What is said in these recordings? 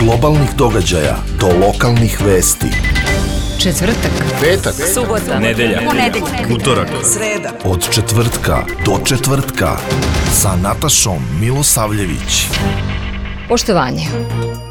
globalnih događaja do lokalnih vesti. Četvrtak, petak, subota, nedelja, utorak, sreda. Od četvrtka do četvrtka sa Natašom Milosavljević. Poštovanje.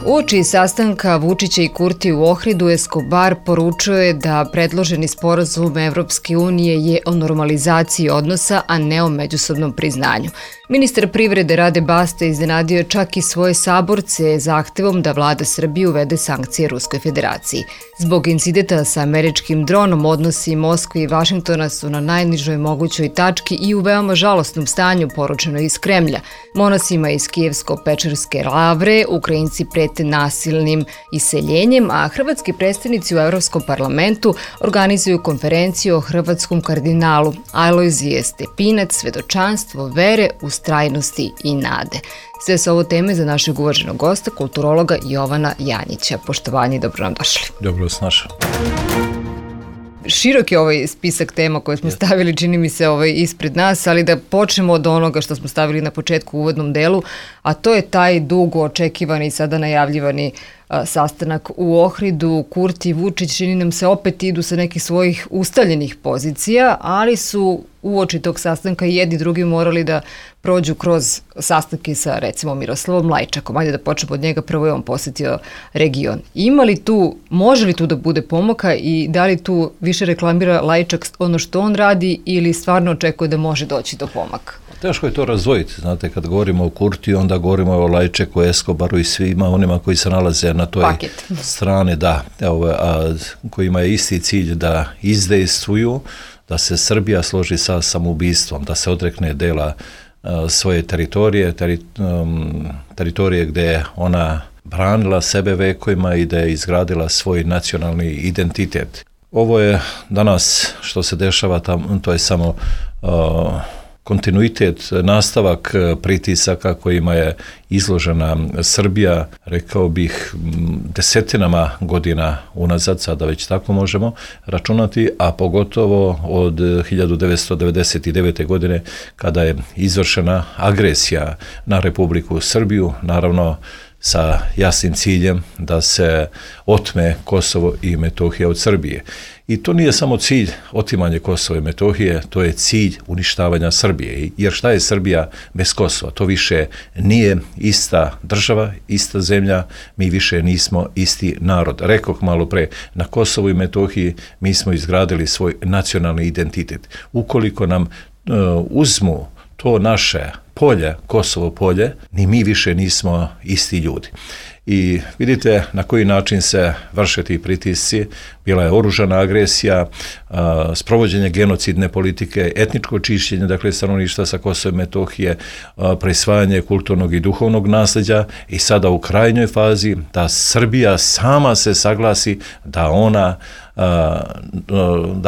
Uoči sastanka Vučića i Kurti u Ohridu, Escobar poručuje da predloženi sporazum Evropske unije je o normalizaciji odnosa, a ne o međusobnom priznanju. Ministar privrede Rade Basta iznenadio je čak i svoje saborce zahtevom da vlada Srbije uvede sankcije Ruskoj federaciji. Zbog incidenta sa američkim dronom, odnosi Moskve i Vašingtona su na najnižoj mogućoj tački i u veoma žalosnom stanju, poručeno iz Kremlja. Monasima iz Kijevsko-Pečerske lavre Ukrajinci prete nasilnim iseljenjem, a hrvatski predstavnici u Evropskom parlamentu organizuju konferenciju o hrvatskom kardinalu Alojzije Stepinac, svedočanstvo vere, ustrajnosti i nade. Sve su ovo teme za našeg uvaženog gosta, kulturologa Jovana Janjića. Poštovanje i dobro nam došli. Dobro vas našao. Širok je ovaj spisak tema koje smo stavili, čini mi se, ispred nas, ali da počnemo od onoga što smo stavili na početku u uvodnom delu, a to je taj dugo očekivani i sada najavljivani sastanak u Ohridu. Kurti i Vučić, čini nam se, opet idu sa nekih svojih ustaljenih pozicija, ali su uoči tog sastanka i jedni drugi morali da prođu kroz sastanke sa, recimo, Miroslavom Lajčakom. Ajde da počnemo od njega, prvo je on posjetio region. Može li tu da bude pomaka i da li tu više reklamira Lajčak ono što on radi ili stvarno očekuje da može doći do pomaka? Teško je to razdvojiti, znate, kad govorimo o Kurtiju, onda govorimo o Lajčeku, Escobaru i svima onima koji se nalaze na toj strani, kojima je isti cilj da izdejstvuju, da se Srbija složi sa samoubistvom, da se odrekne dela svoje teritorije gdje je ona branila sebe vekovima i da je izgradila svoj nacionalni identitet. Ovo je danas što se dešava tamo, to je samo kontinuitet, nastavak pritisaka kojima je izložena Srbija, rekao bih, desetinama godina unazad, sada već tako možemo računati, a pogotovo od 1999. godine kada je izvršena agresija na Republiku Srbiju, naravno sa jasnim ciljem da se otme Kosovo i Metohija od Srbije. I to nije samo cilj otimanje Kosova i Metohije, to je cilj uništavanja Srbije. Jer šta je Srbija bez Kosova? To više nije ista država, ista zemlja, mi više nismo isti narod. Rekoh malo pre, na Kosovu i Metohiji mi smo izgradili svoj nacionalni identitet. Ukoliko nam uzmu to naše polje, Kosovo polje, ni mi više nismo isti ljudi. I vidite na koji način se vrše ti pritisci. Bila je oružana agresija, sprovođenje genocidne politike, etničko čišćenje, dakle stanovništva sa Kosova i Metohije, prisvajanje kulturnog i duhovnog nasljeđa i sada u krajnjoj fazi da Srbija sama se saglasi da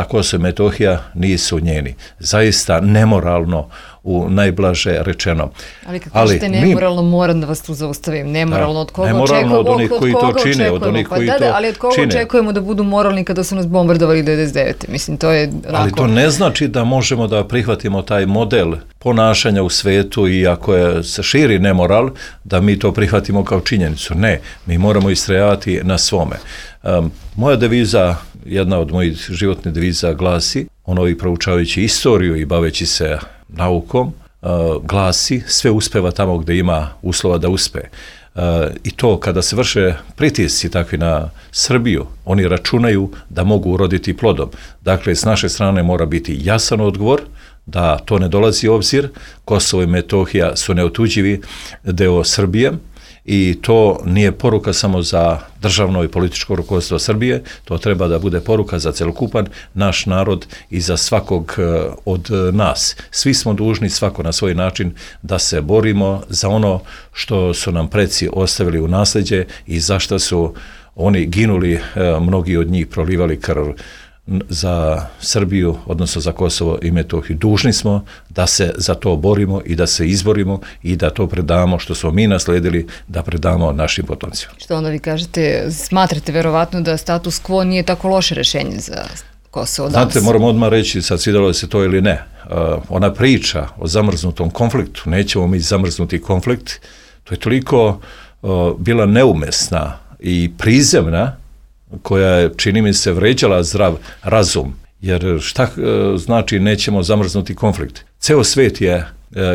Kosovo i Metohija nisu njeni. Zaista nemoralno, u najblaže rečeno. Ali kad kažete nemoralno, moram da vas tu zaustavim. Nemoralno od koga očekujemo? Nemoralno od onih koji to čine, od onih koji to čine. Ali od koga očekujemo da budu moralni kada su nas bombardovali 99. Mislim, to je onako... Ali to ne znači da možemo da prihvatimo taj model ponašanja u svetu i ako se širi nemoral, da mi to prihvatimo kao činjenicu. Ne, mi moramo istrajavati na svome. Moja deviza, jedna od mojih životnih deviza glasi, i proučavajući istoriju i baveći se naukom, glasi sve uspeva tamo gdje ima uslova da uspe. I to kada se vrše pritisci takvi na Srbiju, oni računaju da mogu uroditi plodom. Dakle, s naše strane mora biti jasan odgovor da to ne dolazi u obzir. Kosovo i Metohija su neotuđivi deo Srbije i to nije poruka samo za državno i političko rukovodstvo Srbije, to treba da bude poruka za celokupan naš narod i za svakog od nas. Svi smo dužni, svako na svoj način, da se borimo za ono što su nam preci ostavili u nasljeđe i za što su oni ginuli, mnogi od njih prolivali krv za Srbiju, odnosno za Kosovo i Metohiju. Dužni smo da se za to borimo i da se izborimo i da to predamo što smo mi nasledili, da predamo našim potomcima. Što onda vi kažete, smatrate verovatno da status quo nije tako loše rješenje za Kosovo danas? Znate, moram odmah reći, sad svidjelo se to ili ne, ona priča o zamrznutom konfliktu, nećemo mi zamrznuti konflikt, to je toliko bila neumesna i prizemna, koja je, čini mi se, vređala zdrav razum. Jer šta znači nećemo zamrznuti konflikt? Ceo svet je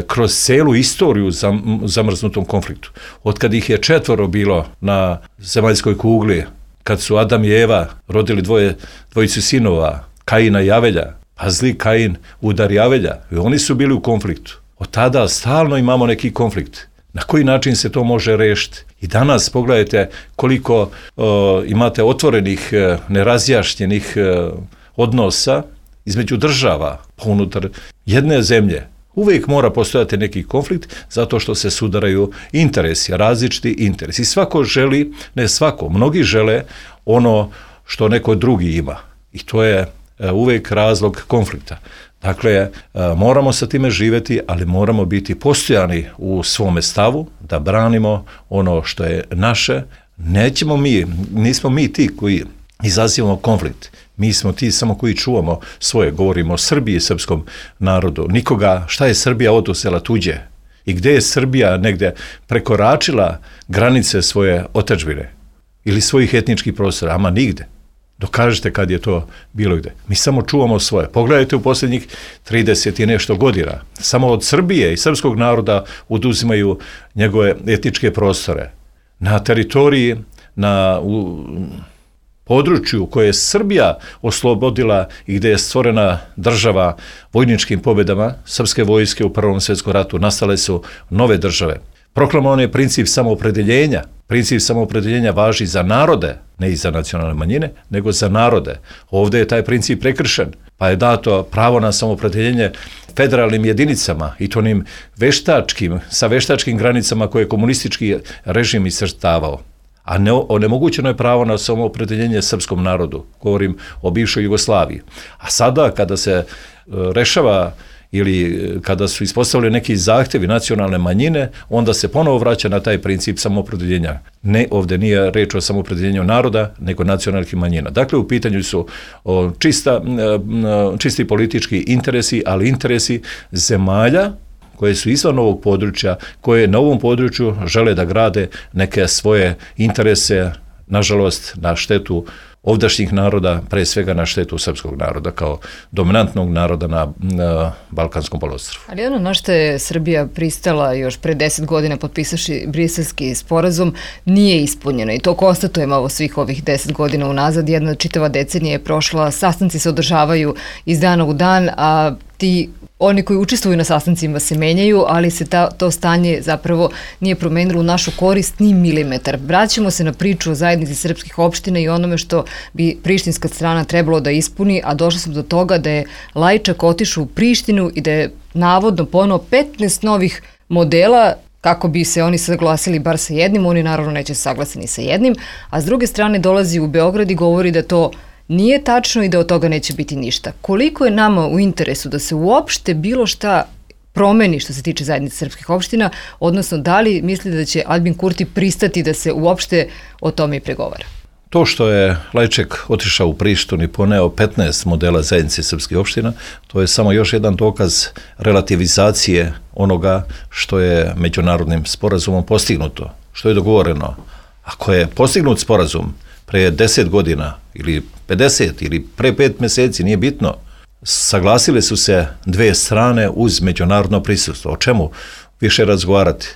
kroz celu istoriju zamrznutom konfliktu. Otkad ih je 4 bilo na zemaljskoj kugli, kad su Adam i Eva rodili dvojicu sinova, Kaina i Avelja, a zli Kain udari Avelja, i oni su bili u konfliktu. Od tada stalno imamo neki konflikt. Na koji način se to može rešiti? I danas pogledajte koliko imate otvorenih, nerazjašnjenih odnosa između država, pa unutar jedne zemlje. Uvijek mora postojati neki konflikt zato što se sudaraju interesi, različiti interesi. Svako želi, ne svako, mnogi žele ono što neko drugi ima. I to je uvijek razlog konflikta. Dakle, moramo sa time živjeti, ali moramo biti postojani u svome stavu, da branimo ono što je naše. Nismo mi ti koji izazivamo konflikt. Mi smo ti samo koji čuvamo svoje. Govorimo o Srbiji i srpskom narodu. Nikoga, šta je Srbija oduzela tuđe? I gdje je Srbija negdje prekoračila granice svoje otadžbine ili svojih etničkih prostora? Ama nigde. Dokažite kad je to bilo gde. Mi samo čuvamo svoje. Pogledajte u posljednjih 30 i nešto godina. Samo od Srbije i srpskog naroda oduzimaju njegove etničke prostore. Na teritoriji, u području koje je Srbija oslobodila i gdje je stvorena država vojničkim pobjedama srpske vojske u Prvom svjetskom ratu, nastale su nove države. Proklamovan je princip samoopredeljenja. Princip samoopredeljenja važi za narode, ne i za nacionalne manjine, nego za narode. Ovdje je taj princip prekršen, pa je dato pravo na samoopredeljenje federalnim jedinicama i to onim sa veštačkim granicama koje je komunistički režim iscrtavao. A onemogućeno je pravo na samoopredeljenje srpskom narodu. Govorim o bivšoj Jugoslaviji. A sada kada se rešava ili kada su ispostavljeni neki zahtjevi nacionalne manjine, onda se ponovo vraća na taj princip samoopredeljenja. Ne, ovdje nije reč o samoopredeljenju naroda, nego nacionalnih manjina. Dakle, u pitanju su čisti politički interesi, ali interesi zemalja koje su izvan ovog područja, koje na ovom području žele da grade neke svoje interese, nažalost, na štetu ovdašnjih naroda, pre svega na štetu srpskog naroda kao dominantnog naroda na Balkanskom poluostrvu. Ali ono na što je Srbija pristala još pre 10 godina potpisaši Briselski sporazum nije ispunjeno i to konstatujemo svih ovih 10 godina unazad. Jedna čitava decenija je prošla, sastanci se održavaju iz dana u dan, a oni koji učestvuju na sastancima se menjaju, ali se to stanje zapravo nije promenilo u našu korist ni milimetar. Vraćamo se na priču o zajednici srpskih opština i onome što bi prištinska strana trebalo da ispuni, a došli smo do toga da je Lajčak otišao u Prištinu i da je navodno ponovo 15 novih modela kako bi se oni saglasili bar sa jednim, oni naravno neće se saglasiti sa jednim, a s druge strane dolazi u Beograd i govori da to nije tačno i da od toga neće biti ništa. Koliko je nama u interesu da se uopšte bilo šta promeni što se tiče zajednice srpskih opština, odnosno da li mislite da će Aljbin Kurti pristati da se uopšte o tome i pregovara? To što je Lajček otišao u Prištinu i poneo 15 modela zajednice srpskih opština, to je samo još jedan dokaz relativizacije onoga što je međunarodnim sporazumom postignuto, što je dogovoreno. Ako je postignut sporazum pre 10 godina ili 50 ili pre 5 mjeseci, nije bitno, saglasile su se dve strane uz međunarodno prisustvo. O čemu više razgovarati?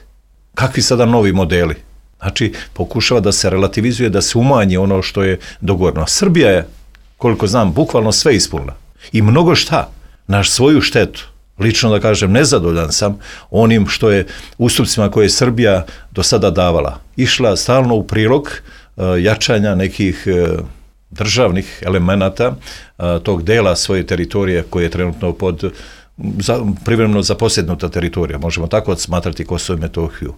Kakvi sada novi modeli? Znači, pokušava da se relativizuje, da se umanji ono što je dogovoreno. Srbija je, koliko znam, bukvalno sve ispunila. I mnogo šta, na svoju štetu. Lično da kažem, nezadovoljan sam onim što je ustupcima koje je Srbija do sada davala. Išla stalno u prilog jačanja nekih državnih elemenata tog dela svoje teritorije koje je trenutno privremeno zaposjednuta teritorija. Možemo tako smatrati Kosovo i Metohiju.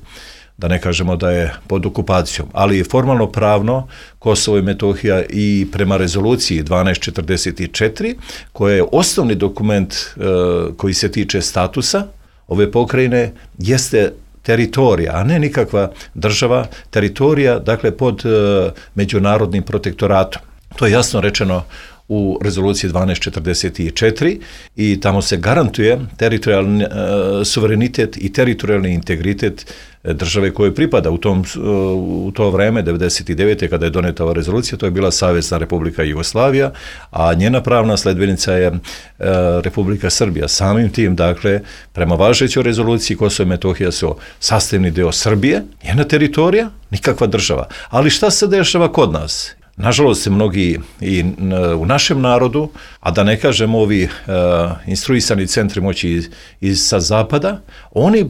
Da ne kažemo da je pod okupacijom, ali formalno pravno Kosovo i Metohija i prema rezoluciji 1244, koja je osnovni dokument koji se tiče statusa ove pokrajine, jeste teritorija, a ne nikakva država, teritorija, dakle pod međunarodnim protektoratom. To je jasno rečeno u rezoluciji 1244 i tamo se garantuje teritorijalni suverenitet i teritorijalni integritet države koje pripada u to vreme, 99. kada je doneta ova rezolucija, to je bila Savezna Republika Jugoslavija, a njena pravna sledbenica je Republika Srbija. Samim tim, dakle, prema važećoj rezoluciji Kosovo i Metohija su sastavni deo Srbije, njena teritorija, nikakva država. Ali šta se dešava kod nas? Nažalost se mnogi i u našem narodu, a da ne kažem ovi instruisani centri moći sa zapada, oni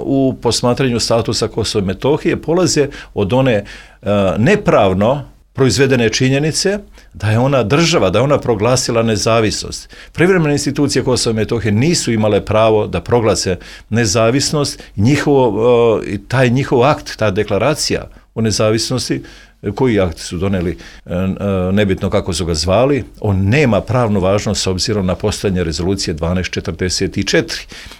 u posmatranju statusa Kosova i Metohije polaze od one nepravno proizvedene činjenice da je ona država, da je ona proglasila nezavisnost. Privremene institucije Kosova i Metohije nisu imale pravo da proglase nezavisnost, taj njihov akt, ta deklaracija o nezavisnosti, koji akt su doneli, nebitno kako su ga zvali, on nema pravnu važnost s obzirom na postojanje rezolucije 1244.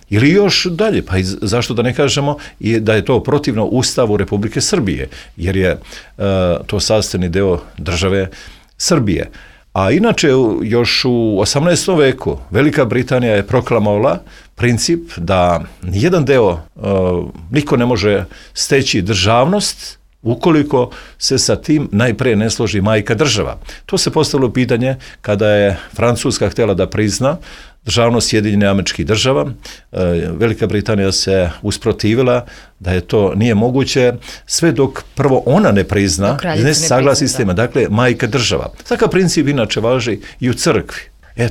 Ili još dalje, pa zašto da ne kažemo i da je to protivno Ustavu Republike Srbije, jer je to sastavni deo države Srbije. A inače, još u 18. veku Velika Britanija je proklamovala princip da nijedan deo, niko ne može steći državnost ukoliko se sa tim najprije ne složi majka država. To se postavilo pitanje kada je Francuska htjela da prizna državnost Sjedinjenih Američkih Država. Velika Britanija se usprotivila da je to nije moguće sve dok prvo ona ne prizna, ne saglasi s tema, dakle majka država. Takav princip inače važi i u crkvi.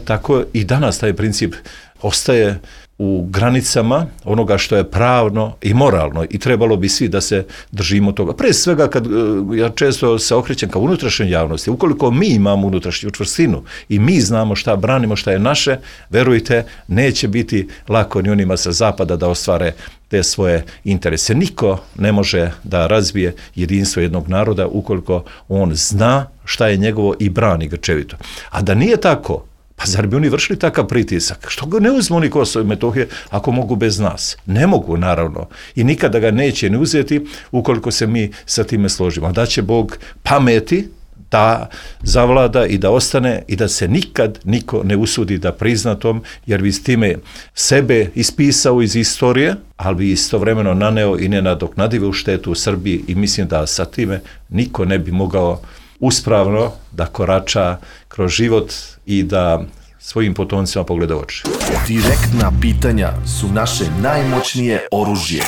Tako i danas taj princip ostaje u granicama onoga što je pravno i moralno i trebalo bi svi da se držimo toga. Pre svega, kad ja često se okrećem ka unutrašnjoj javnosti, ukoliko mi imamo unutrašnju čvrstinu i mi znamo šta branimo, šta je naše, verujte, neće biti lako ni onima sa zapada da ostvare te svoje interese. Niko ne može da razbije jedinstvo jednog naroda ukoliko on zna šta je njegovo i brani grčevito. A da nije tako, pa zar bi oni vršili takav pritisak? Što ga ne uzmu oni Kosovo i Metohije ako mogu bez nas? Ne mogu, naravno. I nikada ga neće ni uzeti ukoliko se mi sa time složimo. Da će Bog pameti da zavlada i da ostane i da se nikad niko ne usudi da prizna tom, jer bi s time sebe ispisao iz istorije, ali bi istovremeno naneo i nenadoknadivu štetu u Srbiji i mislim da sa time niko ne bi mogao uspravno da korača kroz život i da svojim potomcima pogleda oči. Direktna pitanja su naše najmoćnije oružje.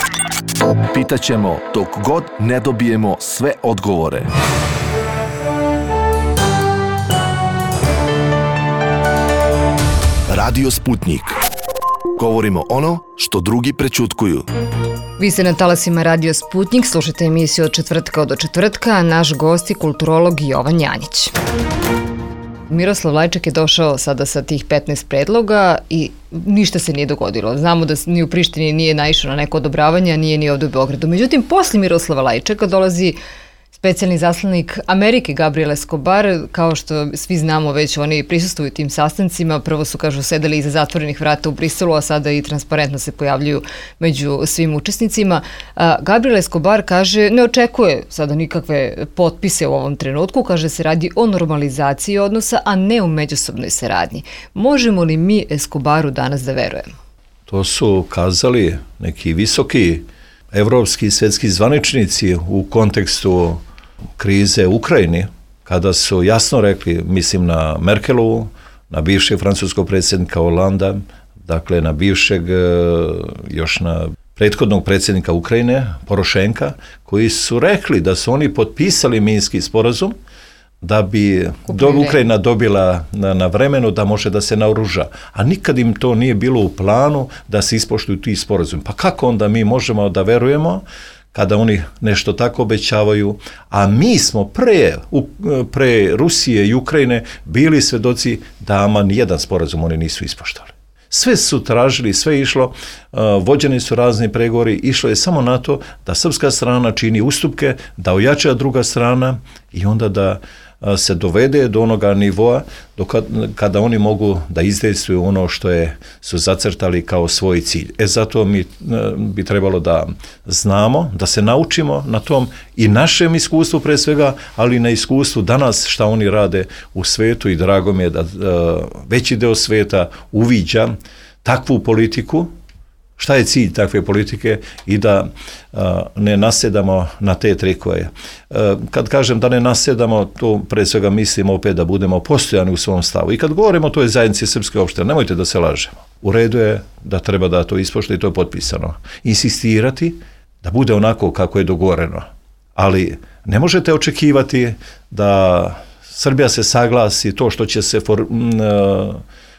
Pitaćemo dok god ne dobijemo sve odgovore. Radio Sputnik. Govorimo ono što drugi prećutkuju. Vi ste na talasima Radio Sputnik, slušate emisiju od četvrtka do četvrtka, a naš gost je kulturolog Jovan Janjić. Miroslav Lajčak je došao sada sa tih 15 predloga i ništa se nije dogodilo. Znamo da ni u Prištini nije naišao na neko odobravanje, a nije ni ovdje u Beogradu. Međutim, poslije Miroslava Lajčaka dolazi specijalni zaslanik Amerike Gabriel Escobar. Kao što svi znamo, već oni prisustvuju tim sastancima. Prvo su, kažu, sedeli iza zatvorenih vrata u Briselu, a sada i transparentno se pojavljuju među svim učesnicima. Gabriel Escobar kaže, ne očekuje sada nikakve potpise u ovom trenutku, kaže se radi o normalizaciji odnosa, a ne o međusobnoj saradnji. Možemo li mi Escobaru danas da verujemo? To su kazali neki visoki evropski i svjetski zvaničnici u kontekstu krize u Ukrajini, kada su jasno rekli, mislim na Merkelovu, na bivšeg francuskog predsjednika Holanda, dakle na bivšeg, još na prethodnog predsjednika Ukrajine, Porošenka, koji su rekli da su oni potpisali Minski sporazum da bi Ukrajina dobila na vremenu da može da se naoruža. A nikad im to nije bilo u planu da se ispoštuju ti sporazumi. Pa kako onda mi možemo da verujemo kada oni nešto tako obećavaju, a mi smo pre Rusije i Ukrajine bili svedoci da ama nijedan sporazum oni nisu ispoštovali. Sve su tražili, sve je išlo, vođeni su razni pregovori, išlo je samo na to da srpska strana čini ustupke, da ojača druga strana i onda da se dovede do onoga nivoa kada oni mogu da izdejstvuju ono što su zacrtali kao svoj cilj. Zato mi bi trebalo da znamo, da se naučimo na tom i našem iskustvu pre svega, ali i na iskustvu danas šta oni rade u svetu i drago mi je da veći deo sveta uviđa takvu politiku Šta je cilj takve politike i da ne nasjedamo na te trikove. Kad kažem da ne nasjedamo, to pre svega mislim opet da budemo postojani u svom stavu. I kad govorimo o toj zajednici srpske opštine, nemojte da se lažemo. U redu je da treba da to ispoštuje i to je potpisano. Insistirati da bude onako kako je dogovoreno. Ali ne možete očekivati da Srbija se saglasi to što će se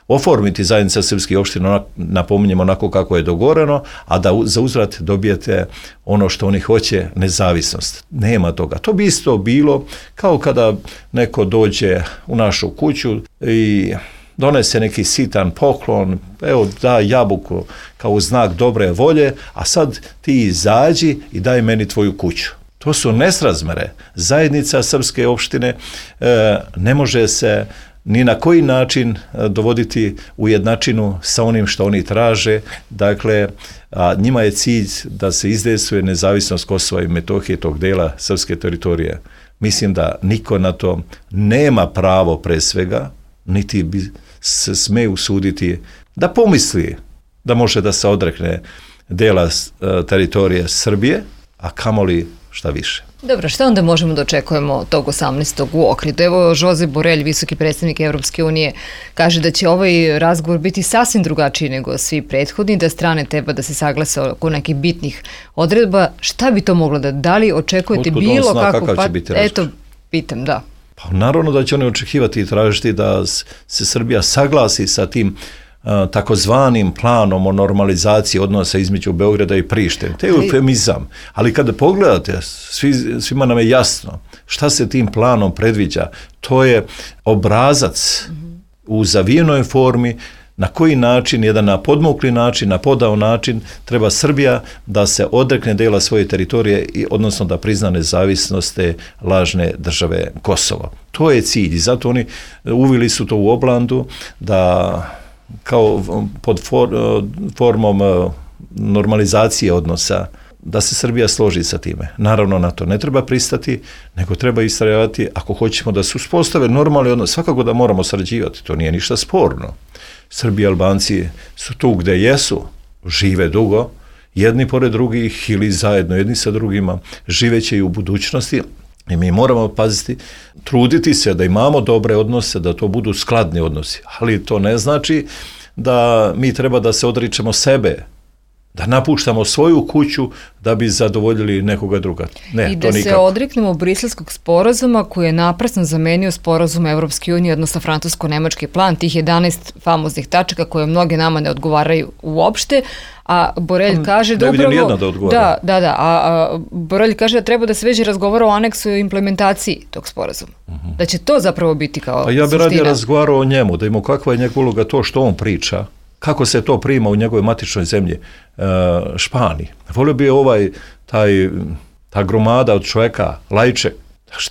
oformiti zajednica srpskih opština, napominjemo onako kako je dogovoreno, a da za uzvrat dobijete ono što oni hoće, nezavisnost. Nema toga. To bi isto bilo kao kada neko dođe u našu kuću i donese neki sitan poklon, evo da jabuku kao znak dobre volje, a sad ti izađi i daj meni tvoju kuću. To su nesrazmere. Zajednica srpske opštine ne može se ni na koji način dovoditi u jednačinu sa onim što oni traže. Dakle, njima je cilj da se izdejstvuje nezavisnost Kosova i Metohije, tog dela srpske teritorije. Mislim da niko na to nema pravo pre svega, niti bi se sme usuditi da pomisli da može da se odrekne dela teritorije Srbije, a kamoli šta više. Dobro, šta onda možemo da očekujemo tog 18. u Ohridu? Evo, Josep Borrell, visoki predstavnik Evropske unije, kaže da će ovaj razgovor biti sasvim drugačiji nego svi prethodni, da strane treba da se saglase oko nekih bitnih odredba. Šta bi to moglo da li očekujete bilo kako? Eto, pitam, da. Pa naravno da će oni očekivati i tražiti da se Srbija saglasi sa tim takozvanim planom o normalizaciji odnosa između Beograda i Prištine. To je eufemizam. Ali kada pogledate, svima nam je jasno šta se tim planom predviđa. To je obrazac u zavijenoj formi na koji način, jedan na podmukli način, na podao način, treba Srbija da se odrekne dela svoje teritorije, odnosno da prizna nezavisnost te lažne države Kosovo. To je cilj i zato oni uvili su to u oblandu da kao pod formom normalizacije odnosa, da se Srbija složi sa time. Naravno, na to ne treba pristati, nego treba istrajavati ako hoćemo da se uspostave normalni odnos. Svakako da moramo sarađivati, to nije ništa sporno. Srbi i Albanci su tu gde jesu, žive dugo, jedni pored drugih ili zajedno jedni sa drugima, živeće i u budućnosti. I mi moramo paziti, truditi se da imamo dobre odnose, da to budu skladni odnosi. Ali to ne znači da mi treba da se odričemo sebe, da napuštamo svoju kuću da bi zadovoljili nekoga druga. Ne, i da se odreknemo Briselskog sporazuma koji je naprasno zamenio sporazum Evropske unije, odnosno francusko-nemački plan, tih 11 famoznih tačaka koje mnoge nama ne odgovaraju uopšte, a Borrell kaže da upravo... Ne vidim nijedna da odgovara. A Borrell kaže da treba da se već razgovara o aneksu i implementaciji tog sporazuma. Da će to zapravo biti kao suština. Pa ja bih radije razgovarao o njemu, da imamo kakva je njegova uloga, to što on priča, kako se to prima u njegovoj matičnoj zemlji, Španiji. Volio bi ta gromada od čovjeka, Lajček,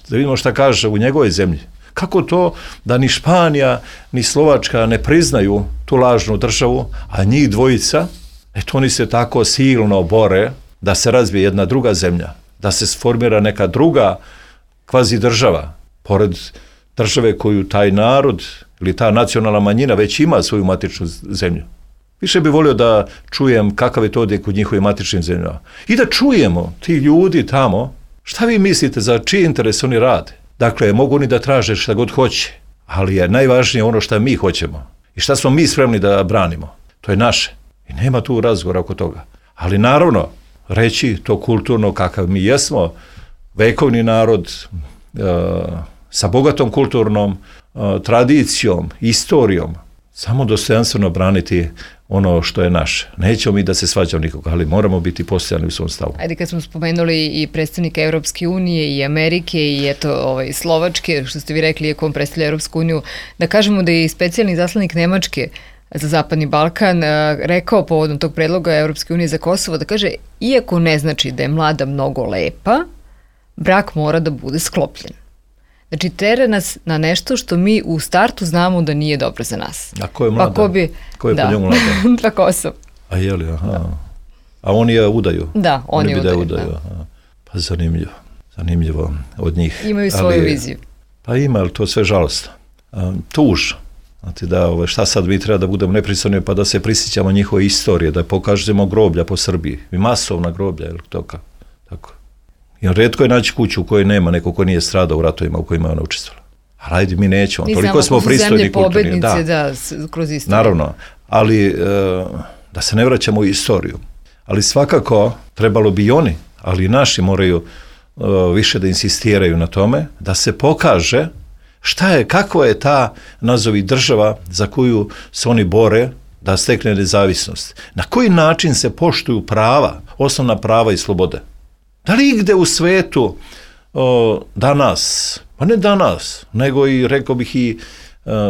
da vidimo šta kaže u njegovoj zemlji. Kako to da ni Španija, ni Slovačka ne priznaju tu lažnu državu, a njih dvojica, oni se tako silno bore da se razvije jedna druga zemlja, da se sformira neka druga kvazi država, pored države koju taj narod ili ta nacionalna manjina već ima svoju matičnu zemlju. Više bi volio da čujem kakav je to odjek u njihovim matičnim zemljama. I da čujemo ti ljudi tamo, šta vi mislite, za čiji interes oni rade. Dakle, mogu oni da traže šta god hoće, ali je najvažnije ono šta mi hoćemo i šta smo mi spremni da branimo. To je naše. I nema tu razgovora oko toga. Ali naravno, reći to kulturno kakav mi jesmo, vekovni narod, sa bogatom kulturnom tradicijom, istorijom, samo dostojanstveno braniti ono što je naše. Nećemo mi da se svađamo nikoga, ali moramo biti postojani u svom stavu. Ajde, kad smo spomenuli i predstavnika Evropske unije i Amerike i Slovačke, što ste vi rekli, iako on predstavlja Evropsku uniju, da kažemo da je i specijalni zaslanik Nemačke za Zapadni Balkan rekao povodom tog predloga Evropske unije za Kosovo, da kaže, iako ne znači da je mlada mnogo lepa, brak mora da bude sklopljen. Znači, tera nas na nešto što mi u startu znamo da nije dobro za nas. A ko je mlada? Ko je po njemu mlada? Pa Kosovo. A je li, aha. Da. A oni je udaju? Da, oni udaju. Pa zanimljivo od njih. Imaju svoju viziju. Pa ima, ali to sve žalostno. Tuž. Znate da šta sad mi treba da budemo nepristojni pa da se prisjećamo njihove istorije, da pokažemo groblja po Srbiji, i masovna groblja, je li to tako? Jer retko je naći kuću u kojoj nema neko ko nije stradao u ratovima u kojima je ona učestvovala. A rajde, mi nećemo, toliko smo pristojni i kulturni. Da, kroz istoriju. Naravno, ali da se ne vraćamo u istoriju. Ali svakako trebalo bi i oni, ali i naši moraju više da insistiraju na tome, da se pokaže kakva je ta, nazovi, država za koju se oni bore da stekne nezavisnost. Na koji način se poštuju prava, osnovna prava i slobode? Da li igde u svetu danas, pa ne danas, nego i, rekao bih, i